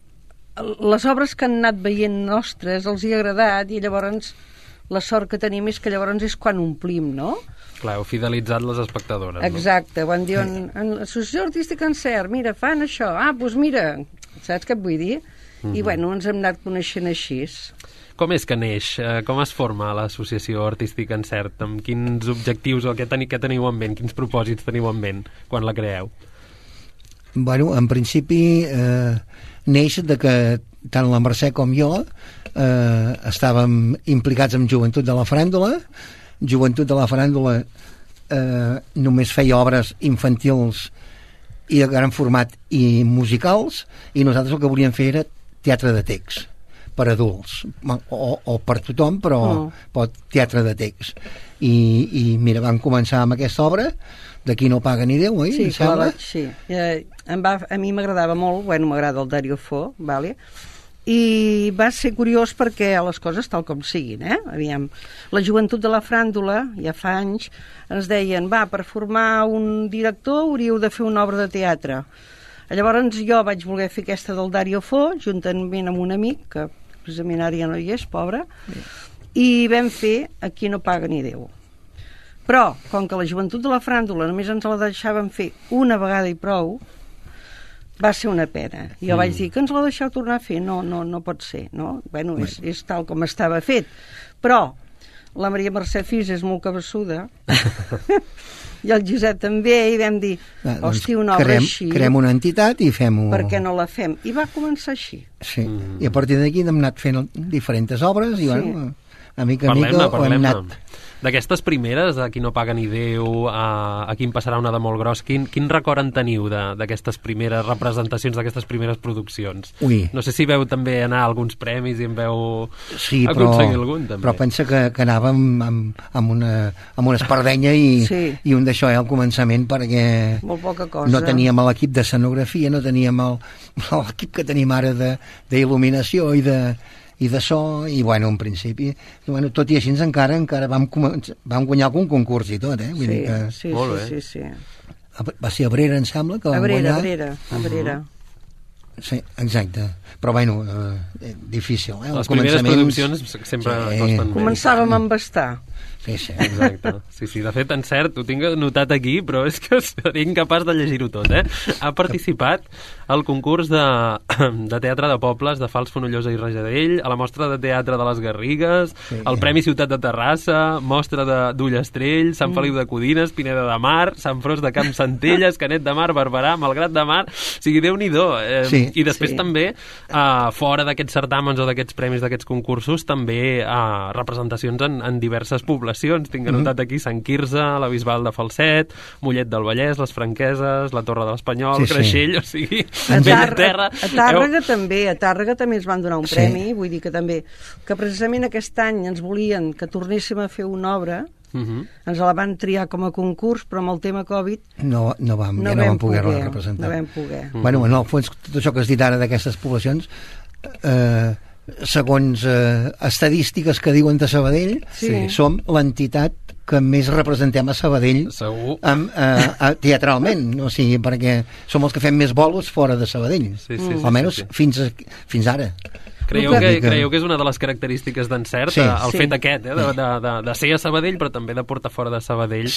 les obres que han anat veient nostres els hi ha agradat, i llavors la sort que tenim és que llavors és quan omplim, no? Clar, heu fidelitzat les espectadores, no? Exacte, quan diuen en l'Associació Artística Encert, mira, fan això, doncs mira, saps què et vull dir? I ens hem anat coneixent així. Com és que neix? Com es forma l'Associació Artística Encert? Amb quins objectius o què teniu en ment? Quins propòsits teniu en ment quan la creeu? En principi neix de que tant la Mercè com jo estàvem implicats en Joventut de la Faràndula. Joventut de la Faràndula només feia obres infantils i de gran format i musicals, i nosaltres el que volíem fer era teatre de text, per adults, o per tothom, però teatre de text. I mira, vam començar amb aquesta obra, D'aquí no paga ni Déu, oi? Sí, sí. A mi m'agradava molt, m'agrada el Dario Fo, vale? I va ser curiós perquè les coses tal com siguin, aviam, la joventut de la fràndula ja fa anys ens deien, per formar un director hauríeu de fer una obra de teatre. Llavors jo vaig voler fer aquesta del Dario Fo juntament amb un amic que precisament ara ja no hi és, pobre, i vam fer Aquí no paga ni Déu. Però com que la joventut de la fràndula només ens la deixaven fer una vegada i prou, va ser una pena. Jo vaig dir que ens la deixeu tornar a fer. No pot ser, no? És tal com estava fet. Però la Maria Mercè Fis és molt cabassuda i el Josep també, i vam dir, hòstia, una obra així... Creem una entitat i fem-ho... Per què no la fem? I va començar així. Sí, i a partir d'aquí hem anat fent diferents obres i, a mica ho hem anat... D'aquestes primeres, Aquí no paga ni Déu, Aquí em passarà una de molt gros, quin record en teniu d'aquestes primeres representacions, d'aquestes primeres produccions? No sé si veu també anar a alguns premis i en veu aconseguir algun, també. Però pensa que anàvem amb una espardenya i un d'això al començament, perquè molt poca cosa. No teníem l'equip d'escenografia, no teníem l'equip que tenim ara d'il·luminació i de so, i en principi tot i així encara vam guanyar algun concurs i tot, vull dir que... Sí. Va ser Abrera, em sembla, que vam guanyar. Abrera. Sí, exacte. Però difícil, Les primeres produccions sempre costen més. Començàvem a embastar. Sí. Exacte. Sí, de fet, en cert, ho tinc notat aquí, però és que seré incapaç de llegir-ho tot, Ha participat al concurs de teatre de pobles de Fals, Fonollosa i Rajadell, a la mostra de teatre de les Garrigues, al Premi Ciutat de Terrassa, mostra d'Ullastrell, Sant Feliu de Codines, Pineda de Mar, Sant Fros de Camp Centelles, Canet de Mar, Barberà, Malgrat de Mar... O sigui, Déu-n'hi-do. I després també, fora d'aquests certàmens o d'aquests premis, d'aquests concursos, també representacions en diverses poblacions. Tinc anotat aquí Sant Quirze, la Bisbal de Falset, Mollet del Vallès, les Franqueses, la Torre de l'Espanyol, Creixell, o sigui, ben a terra. A Tàrrega també ens van donar un premi, vull dir que també, que precisament aquest any ens volien que tornéssim a fer una obra, ens la van triar com a concurs, però amb el tema Covid no vam poder-la representar. No vam poder. En el fons, tot això que has dit ara d'aquestes poblacions, segons estadístiques que diuen de Sabadell, som l'entitat que més representem a Sabadell teatralment, o sigui, perquè som els que fem més bolos fora de Sabadell, almenys fins ara. Creieu que és una de les característiques d'Encert, el fet aquest, de ser a Sabadell, però també de portar fora de Sabadell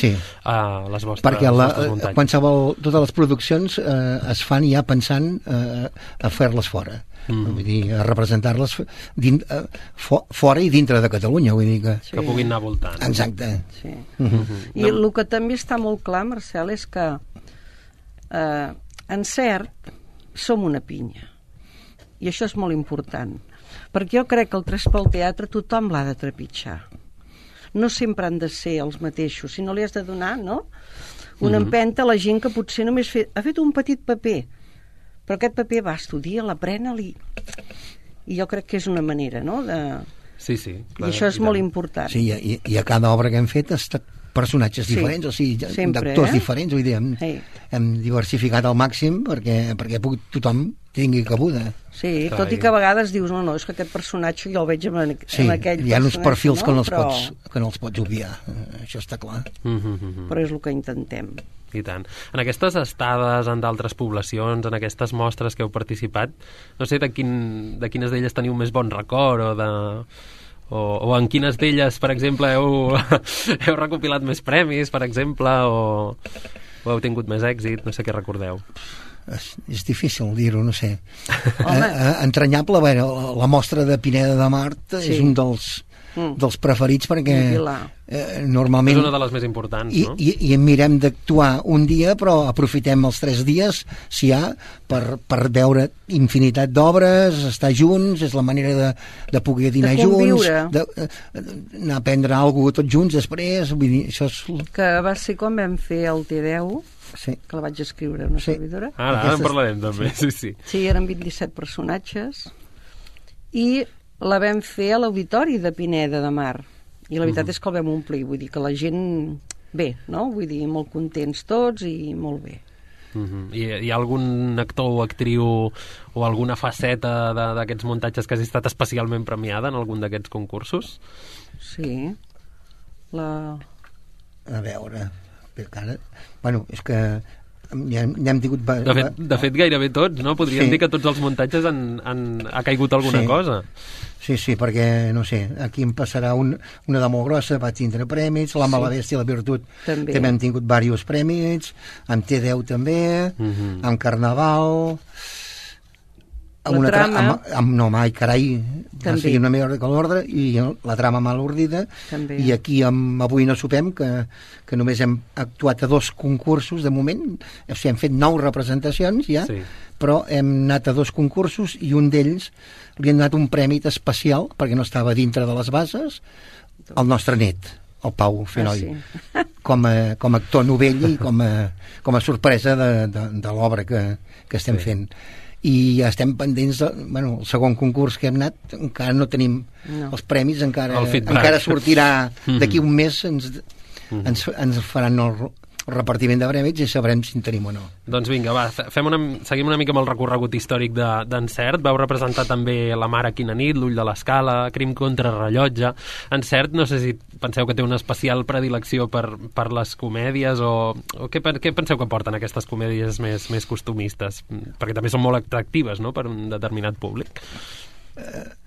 a les vostres muntanyes? Perquè totes les produccions es fan ja pensant a fer-les fora. Vull dir, a representar-les fora i dintre de Catalunya, vull dir que puguin anar voltant. Exacte. I el que també està molt clar, Marcel, és que Encert som una pinya, i això és molt important, perquè jo crec que el Tres pel Teatre tothom l'ha de trepitjar. No sempre han de ser els mateixos, sinó li has de donar, una empenta a la gent que potser només ha fet un petit paper, però aquest paper va, estudia, l'aprena-li, i jo crec que és una manera, Sí. I això és molt important. Sí, i a cada obra que hem fet ha estat personatges diferents, o sigui, d'actors diferents, vull dir, hem diversificat al màxim perquè tothom tingui cabuda. Sí, tot i que a vegades dius, no, és que aquest personatge jo el veig en aquell personatge. Sí, hi ha uns perfils que no els pots obviar, això està clar. Però és el que intentem. I tant. En aquestes estades en d'altres poblacions, en aquestes mostres que heu participat, no sé de quines d'elles teniu més bon record o en quines d'elles, per exemple, heu recopilat més premis, per exemple, o heu tingut més èxit, no sé què recordeu. És difícil dir-ho, no sé. Entranyable, la mostra de Pineda de Mar és un dels preferits, perquè normalment... És una de les més importants, no? I mirem d'actuar un dia, però aprofitem els 3 dies, si hi ha, per veure infinitat d'obres, estar junts, és la manera de poder dinar junts, anar a prendre alguna cosa tots junts després, vull dir, això és... Que va ser quan vam fer el T10, que la vaig escriure una servidora. Ara en parlarem també, sí. Sí, eren 27 personatges, i la vam fer a l'Auditori de Pineda de Mar, i la veritat és que el vam omplir, vull dir que la gent, bé, no? Vull dir, molt contents tots i molt bé. Hi ha algun actor o actriu o alguna faceta d'aquests muntatges que hagi estat especialment premiada en algun d'aquests concursos? Sí. A veure, encara... Bueno, és que ja hem tingut... De fet, gairebé tots, no? Podríem dir que tots els muntatges ha caigut alguna cosa. Sí, perquè, no sé, aquí em passarà una de molt grossa, vaig tindre prèmits, l'Home, la Bèstia i la Virtut també hem tingut diversos prèmits, amb T10 també, amb Carnaval... La trama... No, mai, carai, va seguir una millor que l'ordre, i la trama mal ordida, i aquí Avui no sopem, que només hem actuat a 2 concursos de moment, o sigui, hem fet 9 representacions ja, però hem anat a 2 concursos i un d'ells li han donat un premi especial, perquè no estava dintre de les bases, al nostre net, el Pau Fenoll, com a actor novell i com a sorpresa de l'obra que estem fent. I ja estem pendents el segon concurs que hem anat, encara no tenim els premis, encara sortirà d'aquí un mes, ens faran el repartiment de premis i sabrem si en tenim o no. Doncs vinga, va, seguim una mica amb el recorregut històric d'Encert. Vau representar també La mare quina nit, L'ull de l'escala, Crim contra rellotge. Encert, no sé si penseu que té una especial predilecció per les comèdies o què penseu que porten aquestes comèdies més costumistes? Perquè també són molt atractives, no?, per un determinat públic.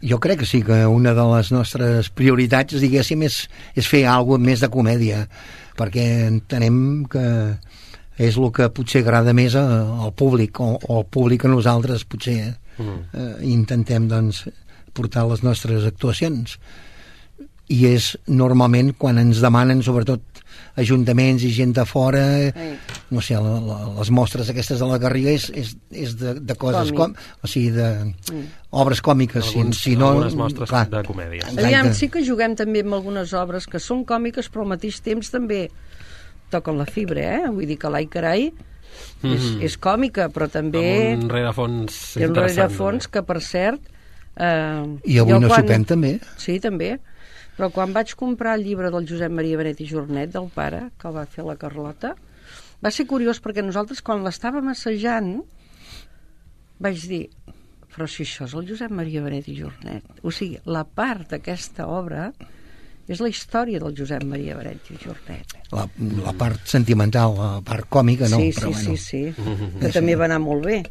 Jo crec que sí, que una de les nostres prioritats, diguéssim, és fer alguna més de comèdia, perquè entenem que és el que potser agrada més al públic, o al públic a nosaltres potser intentem doncs portar les nostres actuacions, i és normalment quan ens demanen, sobretot ajuntaments i gent de fora, no sé, les mostres aquestes de la Garriga és de coses o sigui, obres còmiques, algunes mostres de comèdia. Aviam, sí que juguem també amb algunes obres que són còmiques, però al mateix temps també toquen la fibra, vull dir que l'Ai Carai és còmica, però també amb un rerefons interessant. Un rerefons que, per cert, i Avui no sopem també. Sí, també. Però quan vaig comprar el llibre del Josep Maria Benet i Jornet, del pare, que el va fer la Carlota, va ser curiós perquè nosaltres, quan l'estàvem assajant, vaig dir, però si això és el Josep Maria Benet i Jornet. O sigui, la part d'aquesta obra és la història del Josep Maria Benet i Jornet. La part sentimental, la part còmica, no. Sí. Que també va anar molt bé.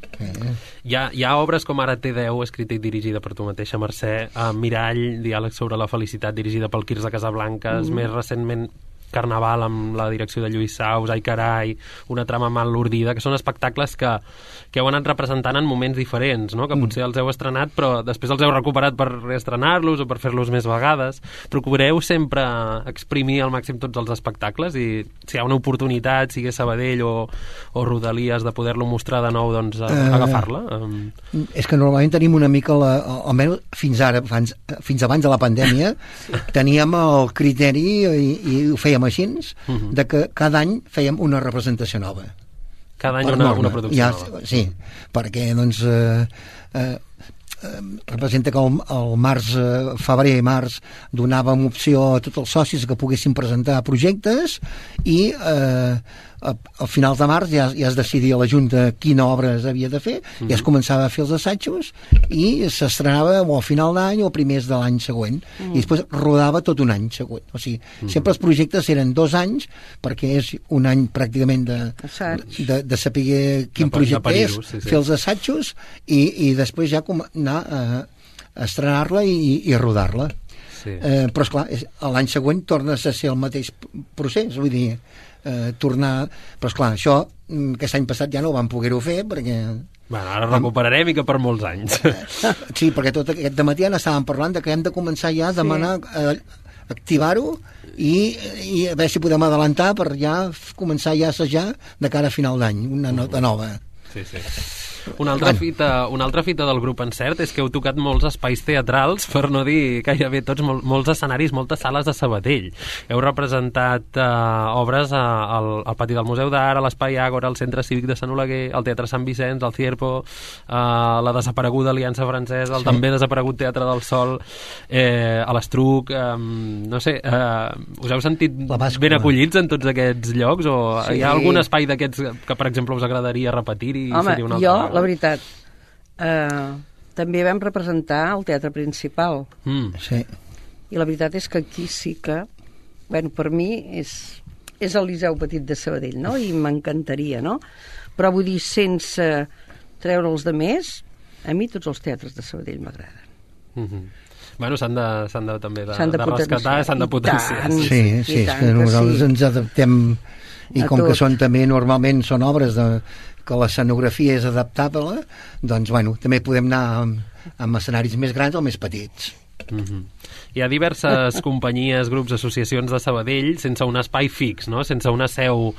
Hi ha obres com ara T10, escrita i dirigida per tu mateixa, Mercè, Mirall, Diàleg sobre la felicitat, dirigida pel Quirze Casablancas, més recentment Carnaval amb la direcció de Lluís Saus, Ai Carai, Una trama mal ordida, que són espectacles que heu anat representant en moments diferents, no? Que potser els heu estrenat però després els heu recuperat per reestrenar-los o per fer-los més vegades. Procureu sempre exprimir al màxim tots els espectacles, i si hi ha una oportunitat, sigui Sabadell o Rodalies, de poder-lo mostrar de nou, doncs agafar-la. És que normalment tenim una mica almenys fins ara, fins abans de la pandèmia, teníem el criteri, i ho fèiem així, de que cada any fèiem una representació nova. Cada any una producció nova. Sí, perquè doncs representa que el març, febrer i març donàvem opció a tots els socis que poguessin presentar projectes, i al final de març ja es decidia a la Junta quina obra havia de fer, i es començava a fer els assajos i s'estrenava o al final d'any o a primers de l'any següent, i després rodava tot un any següent. O sigui, sempre els projectes eren 2 anys, perquè és un any pràcticament de saber quin projecte és, fer els assajos i després ja anar a estrenar-la i rodar-la. Però esclar, l'any següent torna a ser el mateix procés, vull dir, tornar... Però esclar, això aquest any passat ja no ho vam poder-ho fer perquè... Bueno, ara recuperarem i que per molts anys. Sí, perquè tot aquest dematí estàvem parlant de que hem de començar ja a demanar activar-ho i a veure si podem adelantar per ja començar ja a assajar de cara a final d'any, una nota nova. Sí. Una altra fita del grup Encert és que heu tocat molts espais teatrals, per no dir gairebé tots, molts escenaris, moltes sales de Sabadell. Heu representat obres al Pati del Museu d'Art, a l'Espai Àgora, al Centre Cívic de Sant Oleguer, al Teatre Sant Vicenç, al Cierpo, la desapareguda Aliança Francesa, el també desaparegut Teatre del Sol, a l'Estruc, no sé, us heu sentit ben acollits en tots aquests llocs o hi ha algun espai d'aquests que, per exemple, us agradaria repetir-hi? Home, jo, la veritat, també vam representar el Teatre Principal. Sí. I la veritat és que aquí sí que, bueno, per mi és el Liceu Petit de Sabadell, no? I m'encantaria, no? Però vull dir, sense treure els de més, a mi tots els teatres de Sabadell m'agraden. Bueno, s'han de també de rescatar, s'han de potenciar. Sí, és que nosaltres ens adaptem i com que són també normalment són obres que l'escenografia és adaptable, doncs bueno, també podem anar amb escenaris més grans o més petits. Hi ha diverses companyies, grups, associacions de Sabadell sense un espai fix, no? Sense una seu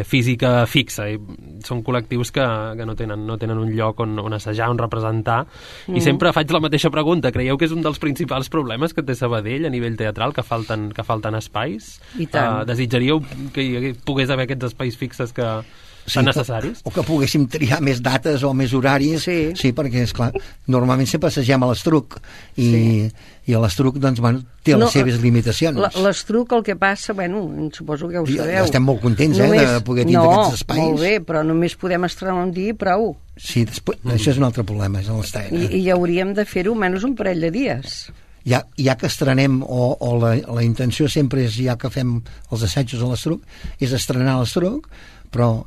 física fixa. I són col·lectius que no tenen un lloc on assajar, on representar. I sempre faig la mateixa pregunta. Creieu que és un dels principals problemes que té Sabadell a nivell teatral, que falten espais? I tant. Desitjaríeu que pogués haver aquests espais fixes que són necessaris? O que poguéssim triar més dates o més horaris, sí perquè, esclar, normalment sempre assagem a l'Estruc i a l'Estruc, doncs, bueno, té les seves limitacions. L'Estruc, el que passa, bueno, suposo que ho sabeu. Estem molt contents, de poder tindre aquests espais. Molt bé, però només podem estrenar un dia i prou. Sí, després, això és un altre problema, és l'estrena. I hauríem de fer-ho menys un parell de dies. Ja que estrenem, o la intenció sempre és, ja que fem els assajos a l'Estruc, és estrenar a l'Estruc, però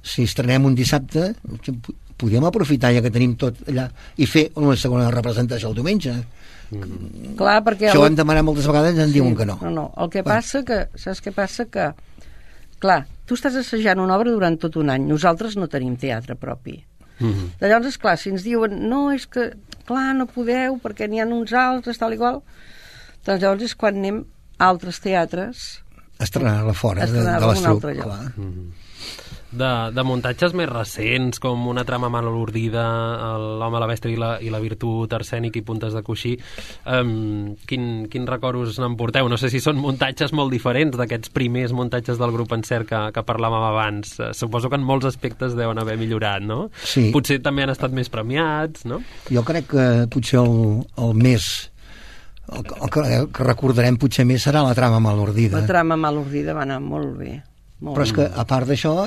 si estrenem un dissabte podríem aprofitar ja que tenim tot allà i fer una segona representació el diumenge. Clar, perquè això ho hem demanat moltes vegades i ens diuen que no. No. El que passa que, saps què passa? Que, clar, tu estàs assajant una obra durant tot un any, nosaltres no tenim teatre propi. Llavors, esclar, si ens diuen no, és que, clar, no podeu perquè n'hi ha uns altres, tal i qual, doncs llavors és quan anem a altres teatres estrenar-la fora de l'Estruc, clar. De muntatges més recents, com Una trama mal urdida, L'home, la bèstia i la virtut, Arsènic i puntes de coixí, quin record us n'emporteu? No sé si són muntatges molt diferents d'aquests primers muntatges del grup Encert que parlàvem abans. Suposo que en molts aspectes deuen haver millorat, no? Sí. Potser també han estat més premiats, no? Jo crec que potser el més... El que recordarem potser més serà La trama mal urdida. La trama mal urdida va anar molt bé. Però és que, a part d'això,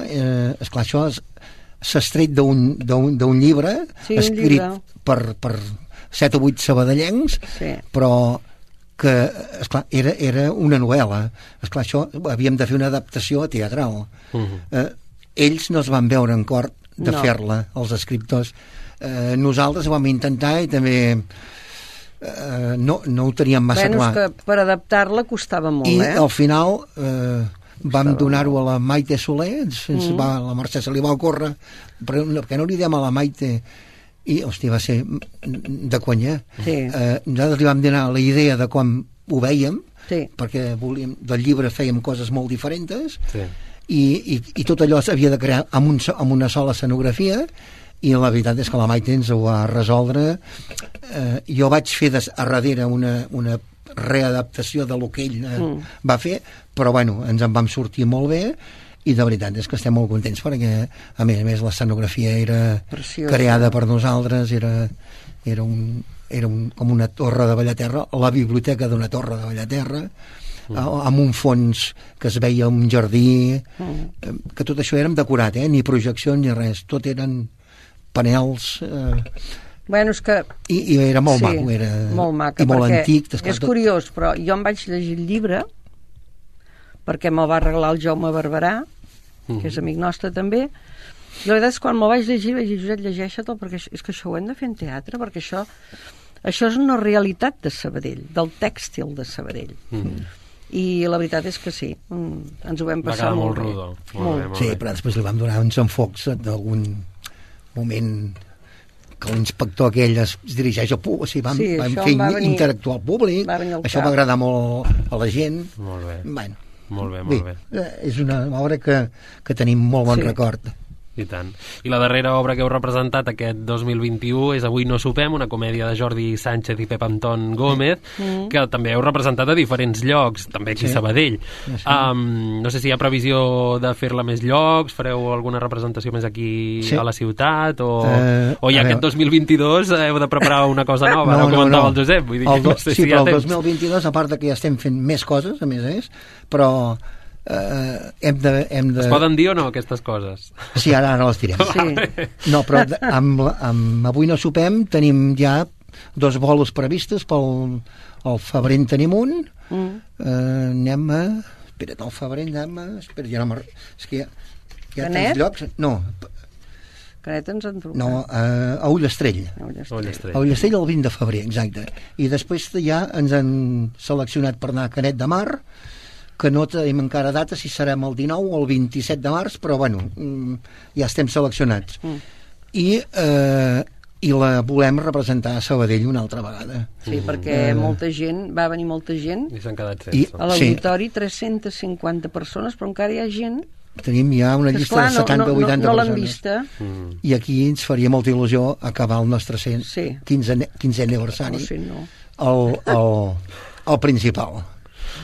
esclar, això s'ha estret d'un llibre escrit per 7 o 8 sabadellencs, però que, esclar, era una novel·la. Esclar, això havíem de fer una adaptació teatral. Ells no es van veure en cor de fer-la, els escriptors. Nosaltres ho vam intentar i també no ho teníem massa clar. És que per adaptar-la costava molt, I al final... vam donar-ho a la Maite Soler, la Mercè se li va ocórrer, perquè no li diem a la Maite, i, hòstia, va ser de conya. Nosaltres li vam donar la idea de com ho vèiem, perquè del llibre fèiem coses molt diferents, i tot allò s'havia de crear amb una sola escenografia, i la veritat és que la Maite ens ho va resoldre. Jo vaig fer a darrere una readaptació de lo que ell va fer, però bueno, ens en vam sortir molt bé i de veritat és que estem molt contents perquè a més l'escenografia era creada per nosaltres, era com una torre de Bellaterra, la biblioteca d'una torre de Bellaterra, amb un fons que es veia un jardí, que tot això érem decorat, ni projecció ni res, tot eren panels... Bueno, és que... I era molt maco, era molt maca, i molt antic. És curiós, però jo em vaig llegir el llibre perquè me'l va regalar el Jaume Barberà, que és amic nostre també, i la veritat és que quan me'l vaig llegir vaig dir, Josep, llegeix-te'l, perquè és que això ho hem de fer en teatre, perquè això és una realitat de Sabadell, del tèxtil de Sabadell. I la veritat és que sí, ens ho vam passar molt bé. Molt bé. Sí, però després li vam donar uns enfocs d'algun moment... que l'inspector aquell es dirigeix al públic, o sigui, vam fer interactuar al públic, això va agradar molt a la gent. Molt bé. Bueno, molt bé. És una obra que tenim molt bon record. I tant. I la darrera obra que heu representat aquest 2021 és Avui no sopem, una comèdia de Jordi Sánchez i Pep Anton Gómez, que també heu representat a diferents llocs, també aquí a Sabadell. No sé si hi ha previsió de fer-la a més llocs, fareu alguna representació més aquí a la ciutat, o ja aquest 2022 heu de preparar una cosa nova, no comentava el Josep. Vull dir que no sé si hi ha temps. Però el 2022, a part que ja estem fent més coses, a més, però hem de... Es poden dir o no, aquestes coses? Sí, ara les direm. Sí. No, però amb Avui no sopem tenim ja 2 bolos previstes pel febrer en tenim un. Anem a... Espera't, al febrer anem a... Espera, ja no és que hi ha tants llocs. No. Canet ens en truca. No, a Ullastrell. A Ullastrell el 20 de febrer, exacte. I després ja ens han seleccionat per anar a Canet de Mar, que no tenim encara data si serem el 19 o el 27 de març, però bueno, ja estem seleccionats. I la volem representar a Sabadell una altra vegada. Sí, perquè va venir molta gent. I s'han quedat sense. A l'auditori 350 persones, però encara hi ha gent. Tenim ja una llista de 70 o 80 persones. No l'han vista. I aquí ens faria molta il·lusió acabar el nostre 15è aniversari. El principal,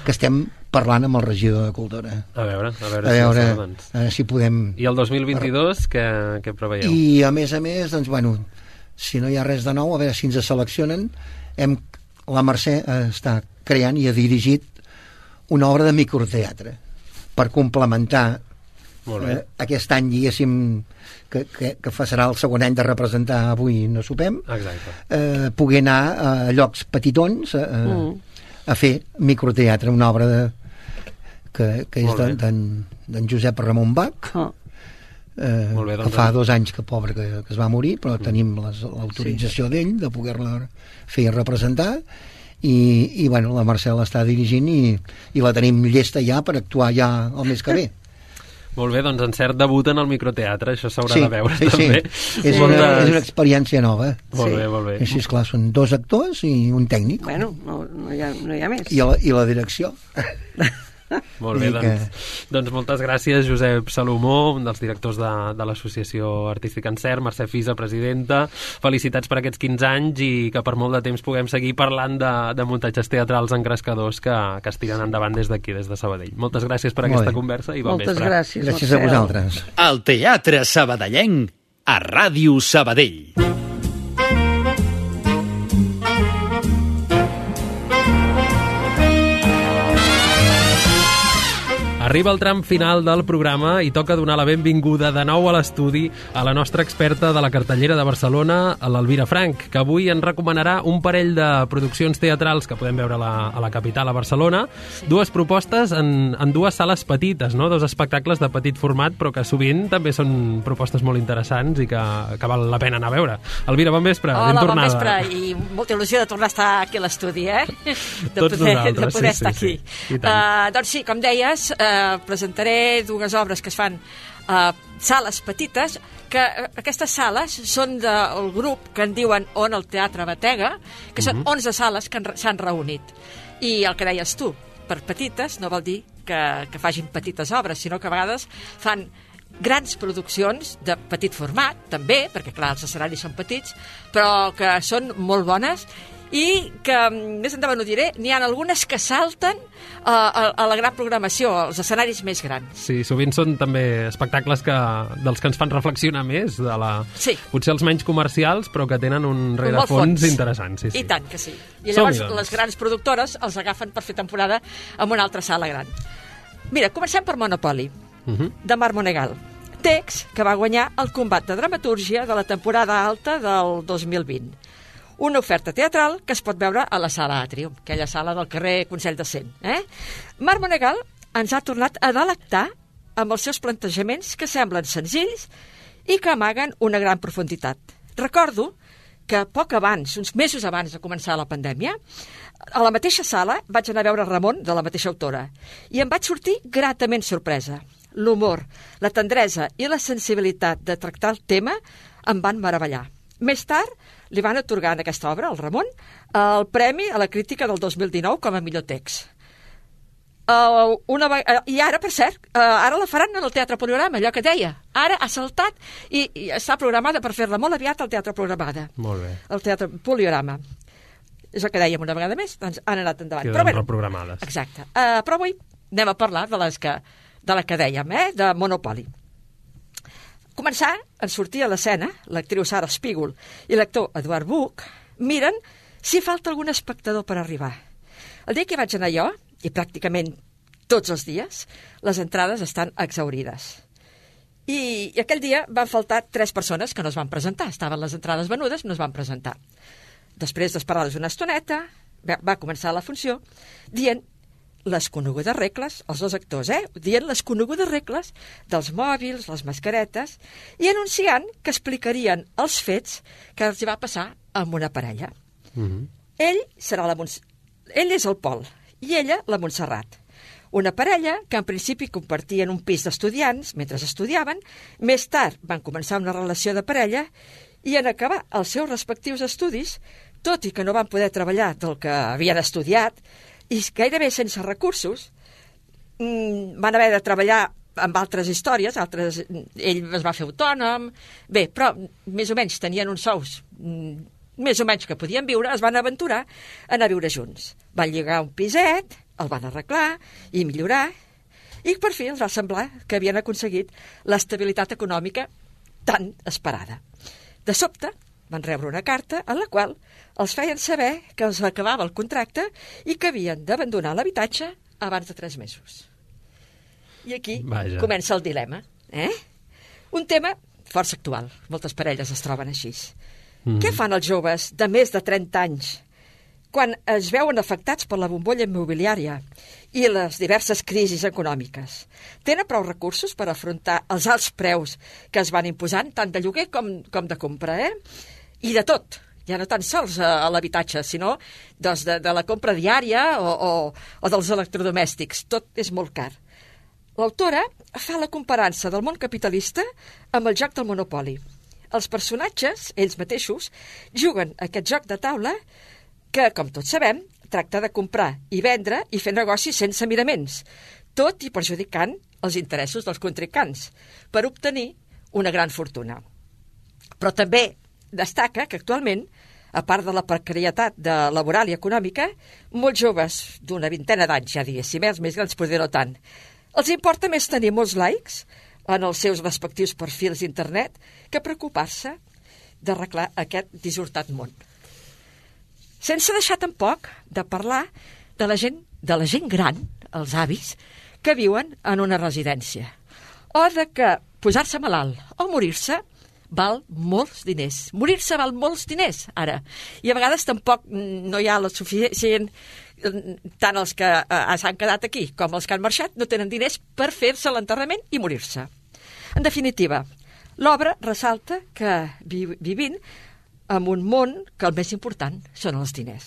que estem parlant amb el regidor de Cultura. A veure si podem... I el 2022 què preveieu? I a més, doncs, bueno, si no hi ha res de nou, a veure si ens seleccionen. La Mercè està creant i ha dirigit una obra de microteatre per complementar aquest any, diguéssim, que serà el segon any de representar Avui no sopem. Exacte. Poder anar a llocs petitons a fer microteatre, una obra que és d'en Josep Ramon Bach, que fa 2 anys que es va morir, però tenim l'autorització d'ell de poder-la fer representar, i bueno, la Mercè l'està dirigint i la tenim llesta ja per actuar ja el mes que ve. Molt bé, doncs encert debut en el microteatre, això s'haurà de veure també. És una experiència nova. Molt bé. Així, esclar, són 2 actors i un tècnic. Bueno, no hi ha més. I la direcció. Molt bé, doncs moltes gràcies, Josep Salomó, un dels directors de l'Associació Artística Encert, Mercè Fisa, presidenta. Felicitats per aquests 15 anys i que per molt de temps puguem seguir parlant de muntatges teatrals engrescadors que es tiren endavant des d'aquí, des de Sabadell. Moltes gràcies per aquesta conversa i bon vespre. Moltes gràcies. Gràcies a vosaltres. El Teatre Sabadellenc, a Ràdio Sabadell. Arriba el tram final del programa i toca donar la benvinguda de nou a l'estudi a la nostra experta de la cartellera de Barcelona, l'Elvira Frank, que avui ens recomanarà un parell de produccions teatrals que podem veure a la capital, a Barcelona. 2 propostes en 2 sales petites, no? 2 espectacles de petit format, però que sovint també són propostes molt interessants i que val la pena anar a veure. Elvira, bon vespre, ben tornada. Hola, bon vespre, i molta il·lusió de tornar a estar aquí a l'estudi, Tots nosaltres, de poder estar aquí. Sí. Doncs sí, com deies, presentaré 2 obres que es fan a sales petites, que aquestes sales són del grup que en diuen On el Teatre Batega, que són 11 sales que s'han reunit. I el que deies tu, per petites no vol dir que facin petites obres, sinó que a vegades fan grans produccions de petit format, també, perquè clar, els escenaris són petits, però que són molt bones i que, més endavant ho diré, n'hi ha algunes que salten a la gran programació, als escenaris més grans. Sí, sovint són també espectacles dels que ens fan reflexionar més, potser els menys comercials, però que tenen un rerefons interessant. Sí. I tant que sí. I llavors les grans productores els agafen per fer temporada en una altra sala gran. Mira, comencem per Monopoly, de Mar Monegal. Text que va guanyar el combat de dramatúrgia de la temporada alta del 2020. Una oferta teatral que es pot veure a la sala Atrium, aquella sala del carrer Consell de Cent. Mar Monegal ens ha tornat a delectar amb els seus plantejaments que semblen senzills i que amaguen una gran profunditat. Recordo que poc abans, uns mesos abans de començar la pandèmia, a la mateixa sala vaig anar a veure Ramon, de la mateixa autora, i em vaig sortir gratament sorpresa. L'humor, la tendresa i la sensibilitat de tractar el tema em van meravellar. Més tard, li van atorgar en aquesta obra, al Ramon, el Premi a la Crítica del 2019 com a millor text. I ara, per cert, ara la faran en el Teatre Poliorama, allò que deia. Ara ha saltat i està programada per fer-la molt aviat al Teatre Programada. Molt bé. El Teatre Poliorama. És el que dèiem una vegada més, doncs han anat endavant. Queden reprogramades. Exacte. Però avui anem a parlar de la que dèiem, de Monopoly. Començar, en sortir a l'escena, l'actriu Sara Spiegel i l'actor Eduard Buch miren si falta algun espectador per arribar. El dia que vaig anar jo, i pràcticament tots els dies, les entrades estan exhaurides. I aquell dia van faltar 3 persones que no es van presentar. Estaven les entrades venudes, no es van presentar. Després d'esperar-les una estoneta, va començar la funció dient les conegudes regles, els 2 actors, dient les conegudes regles dels mòbils, les mascaretes, i anunciant que explicarien els fets que els hi va passar amb una parella. Ell és el Pol i ella la Montserrat. Una parella que en principi compartien un pis d'estudiants mentre estudiaven, més tard van començar una relació de parella i en acabar els seus respectius estudis, tot i que no van poder treballar del que havien estudiat i gairebé sense recursos, van haver de treballar amb altres històries, ell es va fer autònom, bé, però més o menys tenien uns sous més o menys que podien viure, es van aventurar a anar a viure junts. Van lligar un piset, el van arreglar i millorar, i per fi els va semblar que havien aconseguit l'estabilitat econòmica tan esperada. De sobte, van rebre una carta en la qual els feien saber que els acabava el contracte i que havien d'abandonar l'habitatge abans de 3 mesos. I aquí comença el dilema. Un tema força actual. Moltes parelles es troben així. Què fan els joves de més de 30 anys quan es veuen afectats per la bombolla immobiliària i les diverses crisis econòmiques? Tenen prou recursos per afrontar els alts preus que es van imposant, tant de lloguer com de compra, I de tot, ja no tan sols a l'habitatge, sinó de la compra diària o dels electrodomèstics. Tot és molt car. L'autora fa la comparança del món capitalista amb el joc del Monopoly. Els personatges, ells mateixos, juguen a aquest joc de taula que, com tots sabem, tracta de comprar i vendre i fer negocis sense miraments, tot i perjudicant els interessos dels contrincants, per obtenir una gran fortuna. Però també destaca que actualment, a part de la precarietat laboral i econòmica, molts joves d'una vintena d'anys, ja diguéssim, els més grans potser no tant, els importa més tenir molts likes en els seus respectius perfils d'internet que preocupar-se d'arreglar aquest dissortat món. Sense deixar tampoc de parlar de la gent gran, els avis, que viuen en una residència, o de que posar-se malalt o morir-se val molts diners. Morir-se val molts diners, ara. I a vegades tampoc no hi ha la suficient... Tant els que s'han quedat aquí com els que han marxat no tenen diners per fer-se l'enterrament i morir-se. En definitiva, l'obra ressalta que vivim en un món que el més important són els diners.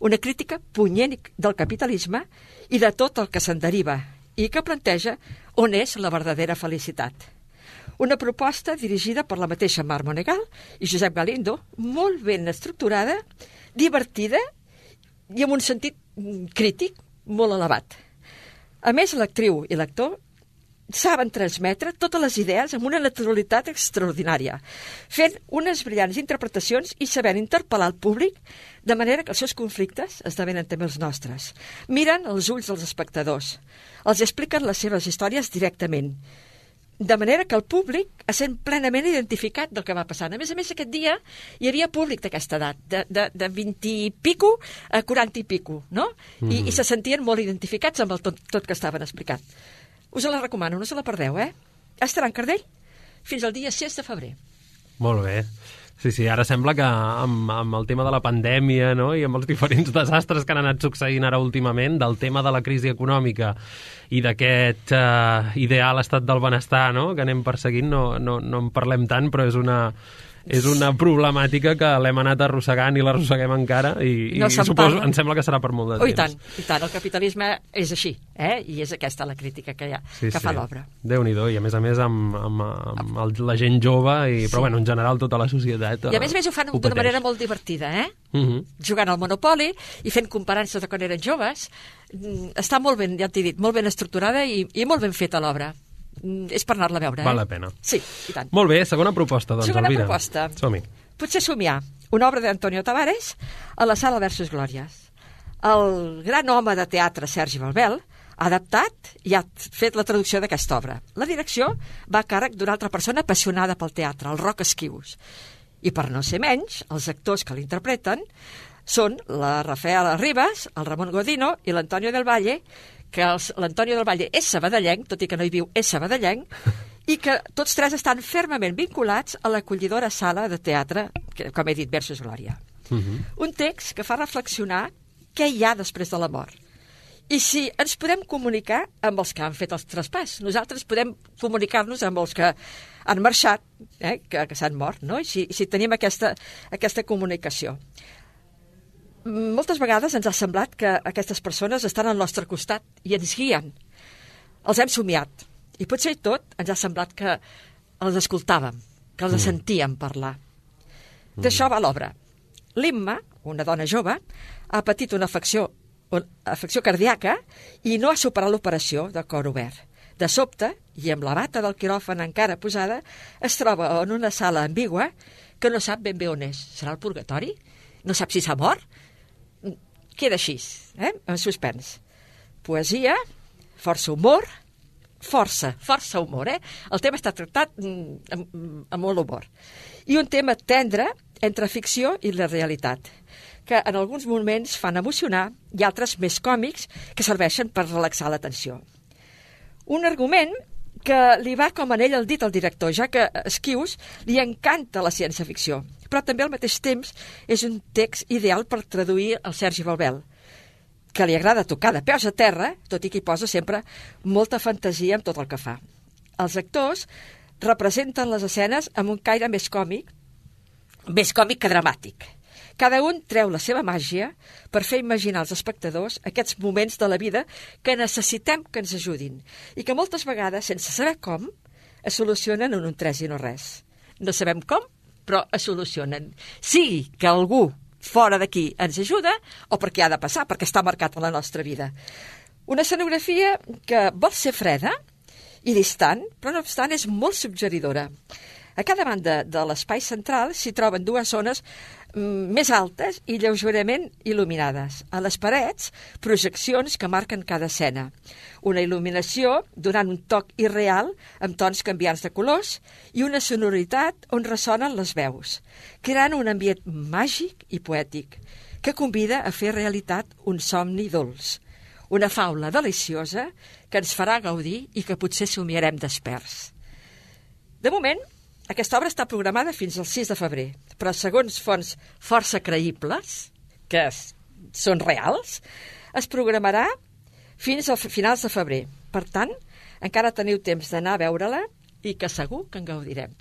Una crítica punyent del capitalisme i de tot el que se'n deriva i que planteja on és la verdadera felicitat. Una proposta dirigida per la mateixa Mar Monegal i Josep Galindo, molt ben estructurada, divertida i amb un sentit crític molt elevat. A més, l'actriu i l'actor saben transmetre totes les idees amb una naturalitat extraordinària, fent unes brillants interpretacions i sabent interpel·lar el públic de manera que els seus conflictes esdevenen també els nostres. Miren els ulls dels espectadors, els expliquen les seves històries directament, de manera que el públic es sent plenament identificat del que va passant. A més, aquest dia hi havia públic d'aquesta edat, de 20 i pico a 40 i pico, no? I se sentien molt identificats amb el tot que estaven explicant. Us la recomano, no se la perdeu, Estarà en Cardell fins al dia 6 de febrer. Molt bé. Sí, ara sembla que amb el tema de la pandèmia, no?, i amb els diferents desastres que han anat succeint ara últimament, del tema de la crisi econòmica i d'aquest ideal estat del benestar, no?, que anem perseguint, no en parlem tant, però és una problemàtica que l'hem anat arrossegant i l'arrosseguem encara i suposo, em sembla que serà per molt de temps. I tant, el capitalisme és així, i és aquesta la crítica que fa l'obra. Déu-n'hi-do, i a més amb la gent jove, però bueno, en general tota la societat. I a més ho fan d'una manera molt divertida, jugant al Monopoly i fent comparances de quan eren joves. Està molt ben, ja t'he dit, molt ben estructurada i molt ben feta l'obra. És per anar-la a veure. Val la pena. Sí, i tant. Molt bé, segona proposta, doncs, Segona Elvira. proposta. Som-hi. Potser somiar una obra d'Antonio Tavares a la Sala Versus Glòries. El gran home de teatre Sergi Balbel ha adaptat i ha fet la traducció d'aquesta obra. La direcció va a càrrec d'una altra persona apassionada pel teatre, el Roc Esquius. I per no ser menys, els actors que l'interpreten són la Rafaela Ribas, el Ramon Godino i l'Antonio del Valle, que l'Antonio del Valle és sabadellenc, tot i que no hi viu, és sabadellenc, i que tots tres estan fermament vinculats a l'acollidora sala de teatre, que, com he dit, Versus Glòria. Un text que fa reflexionar què hi ha després de la mort. I si ens podem comunicar amb els que han fet els traspàs. Nosaltres podem comunicar-nos amb els que han marxat, que s'han mort, no? I si tenim aquesta comunicació. Moltes vegades ens ha semblat que aquestes persones estan al nostre costat i ens guien. Els hem somiat. I potser tot ens ha semblat que els escoltàvem, que els sentíem parlar. D'això va l'obra. L'Imma, una dona jove, ha patit una afecció cardíaca i no ha superat l'operació de cor obert. De sobte, i amb la bata del quiròfan encara posada, es troba en una sala ambigua que no sap ben bé on és. Serà el purgatori? No sap si s'ha mort? Queda així, en suspens. Poesia, força humor, força humor, El tema està tractat amb molt humor. I un tema tendre entre ficció i la realitat, que en alguns moments fan emocionar i altres més còmics que serveixen per relaxar l'atenció. Un argument que li va com anell al dit al director, ja que a Esquius li encanta la ciència-ficció, però també al mateix temps és un text ideal per traduir el Sergi Balbel, que li agrada tocar de peus a terra, tot i que hi posa sempre molta fantasia en tot el que fa. Els actors representen les escenes amb un caire més còmic que dramàtic. Cada un treu la seva màgia per fer imaginar als espectadors aquests moments de la vida que necessitem que ens ajudin i que moltes vegades, sense saber com, es solucionen en un 3 i no res. No sabem com, però es solucionen. Sigui que algú fora d'aquí ens ajuda o perquè ha de passar, perquè està marcat en la nostra vida. Una escenografia que vol ser freda i distant, però no obstant és molt suggeridora. A cada banda de l'espai central s'hi troben dues zones més altes i lleugerament il·luminades. A les parets, projeccions que marquen cada escena. Una il·luminació donant un toc irreal amb tons canviants de colors i una sonoritat on ressonen les veus, creant un ambient màgic i poètic que convida a fer realitat un somni dolç. Una faula deliciosa que ens farà gaudir i que potser somiarem desperts. De moment, aquesta obra està programada fins al 6 de febrer, però segons fonts força creïbles, que són reals, es programarà fins a finals de febrer. Per tant, encara teniu temps d'anar a veure-la i que segur que en gaudirem.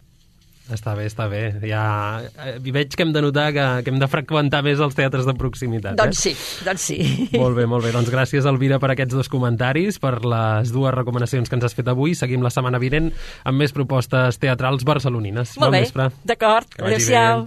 Està bé. Ja veig que hem de notar que hem de freqüentar més els teatres de proximitat. Doncs sí. Molt bé. Doncs gràcies, Elvira, per aquests dos comentaris, per les dues recomanacions que ens has fet avui. Seguim la setmana vinent amb més propostes teatrals barcelonines. Molt bé, d'acord. Adéu-siau.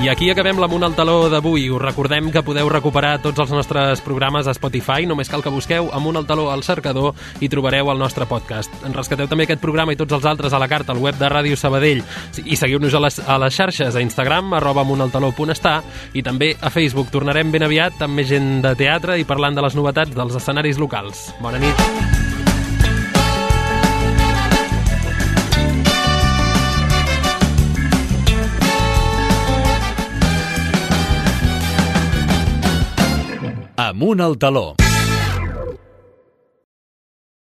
I aquí acabem l'Amunt al Taló d'avui. Us recordem que podeu recuperar tots els nostres programes a Spotify. Només cal que busqueu Amunt al Taló al cercador i trobareu el nostre podcast. En rescateu també aquest programa i tots els altres a la carta al web de Ràdio Sabadell. I seguiu-nos a les xarxes, a Instagram, @amuntaltaló.està, i també a Facebook. Tornarem ben aviat amb més gent de teatre i parlant de les novetats dels escenaris locals. Bona nit. Amunt al Taló.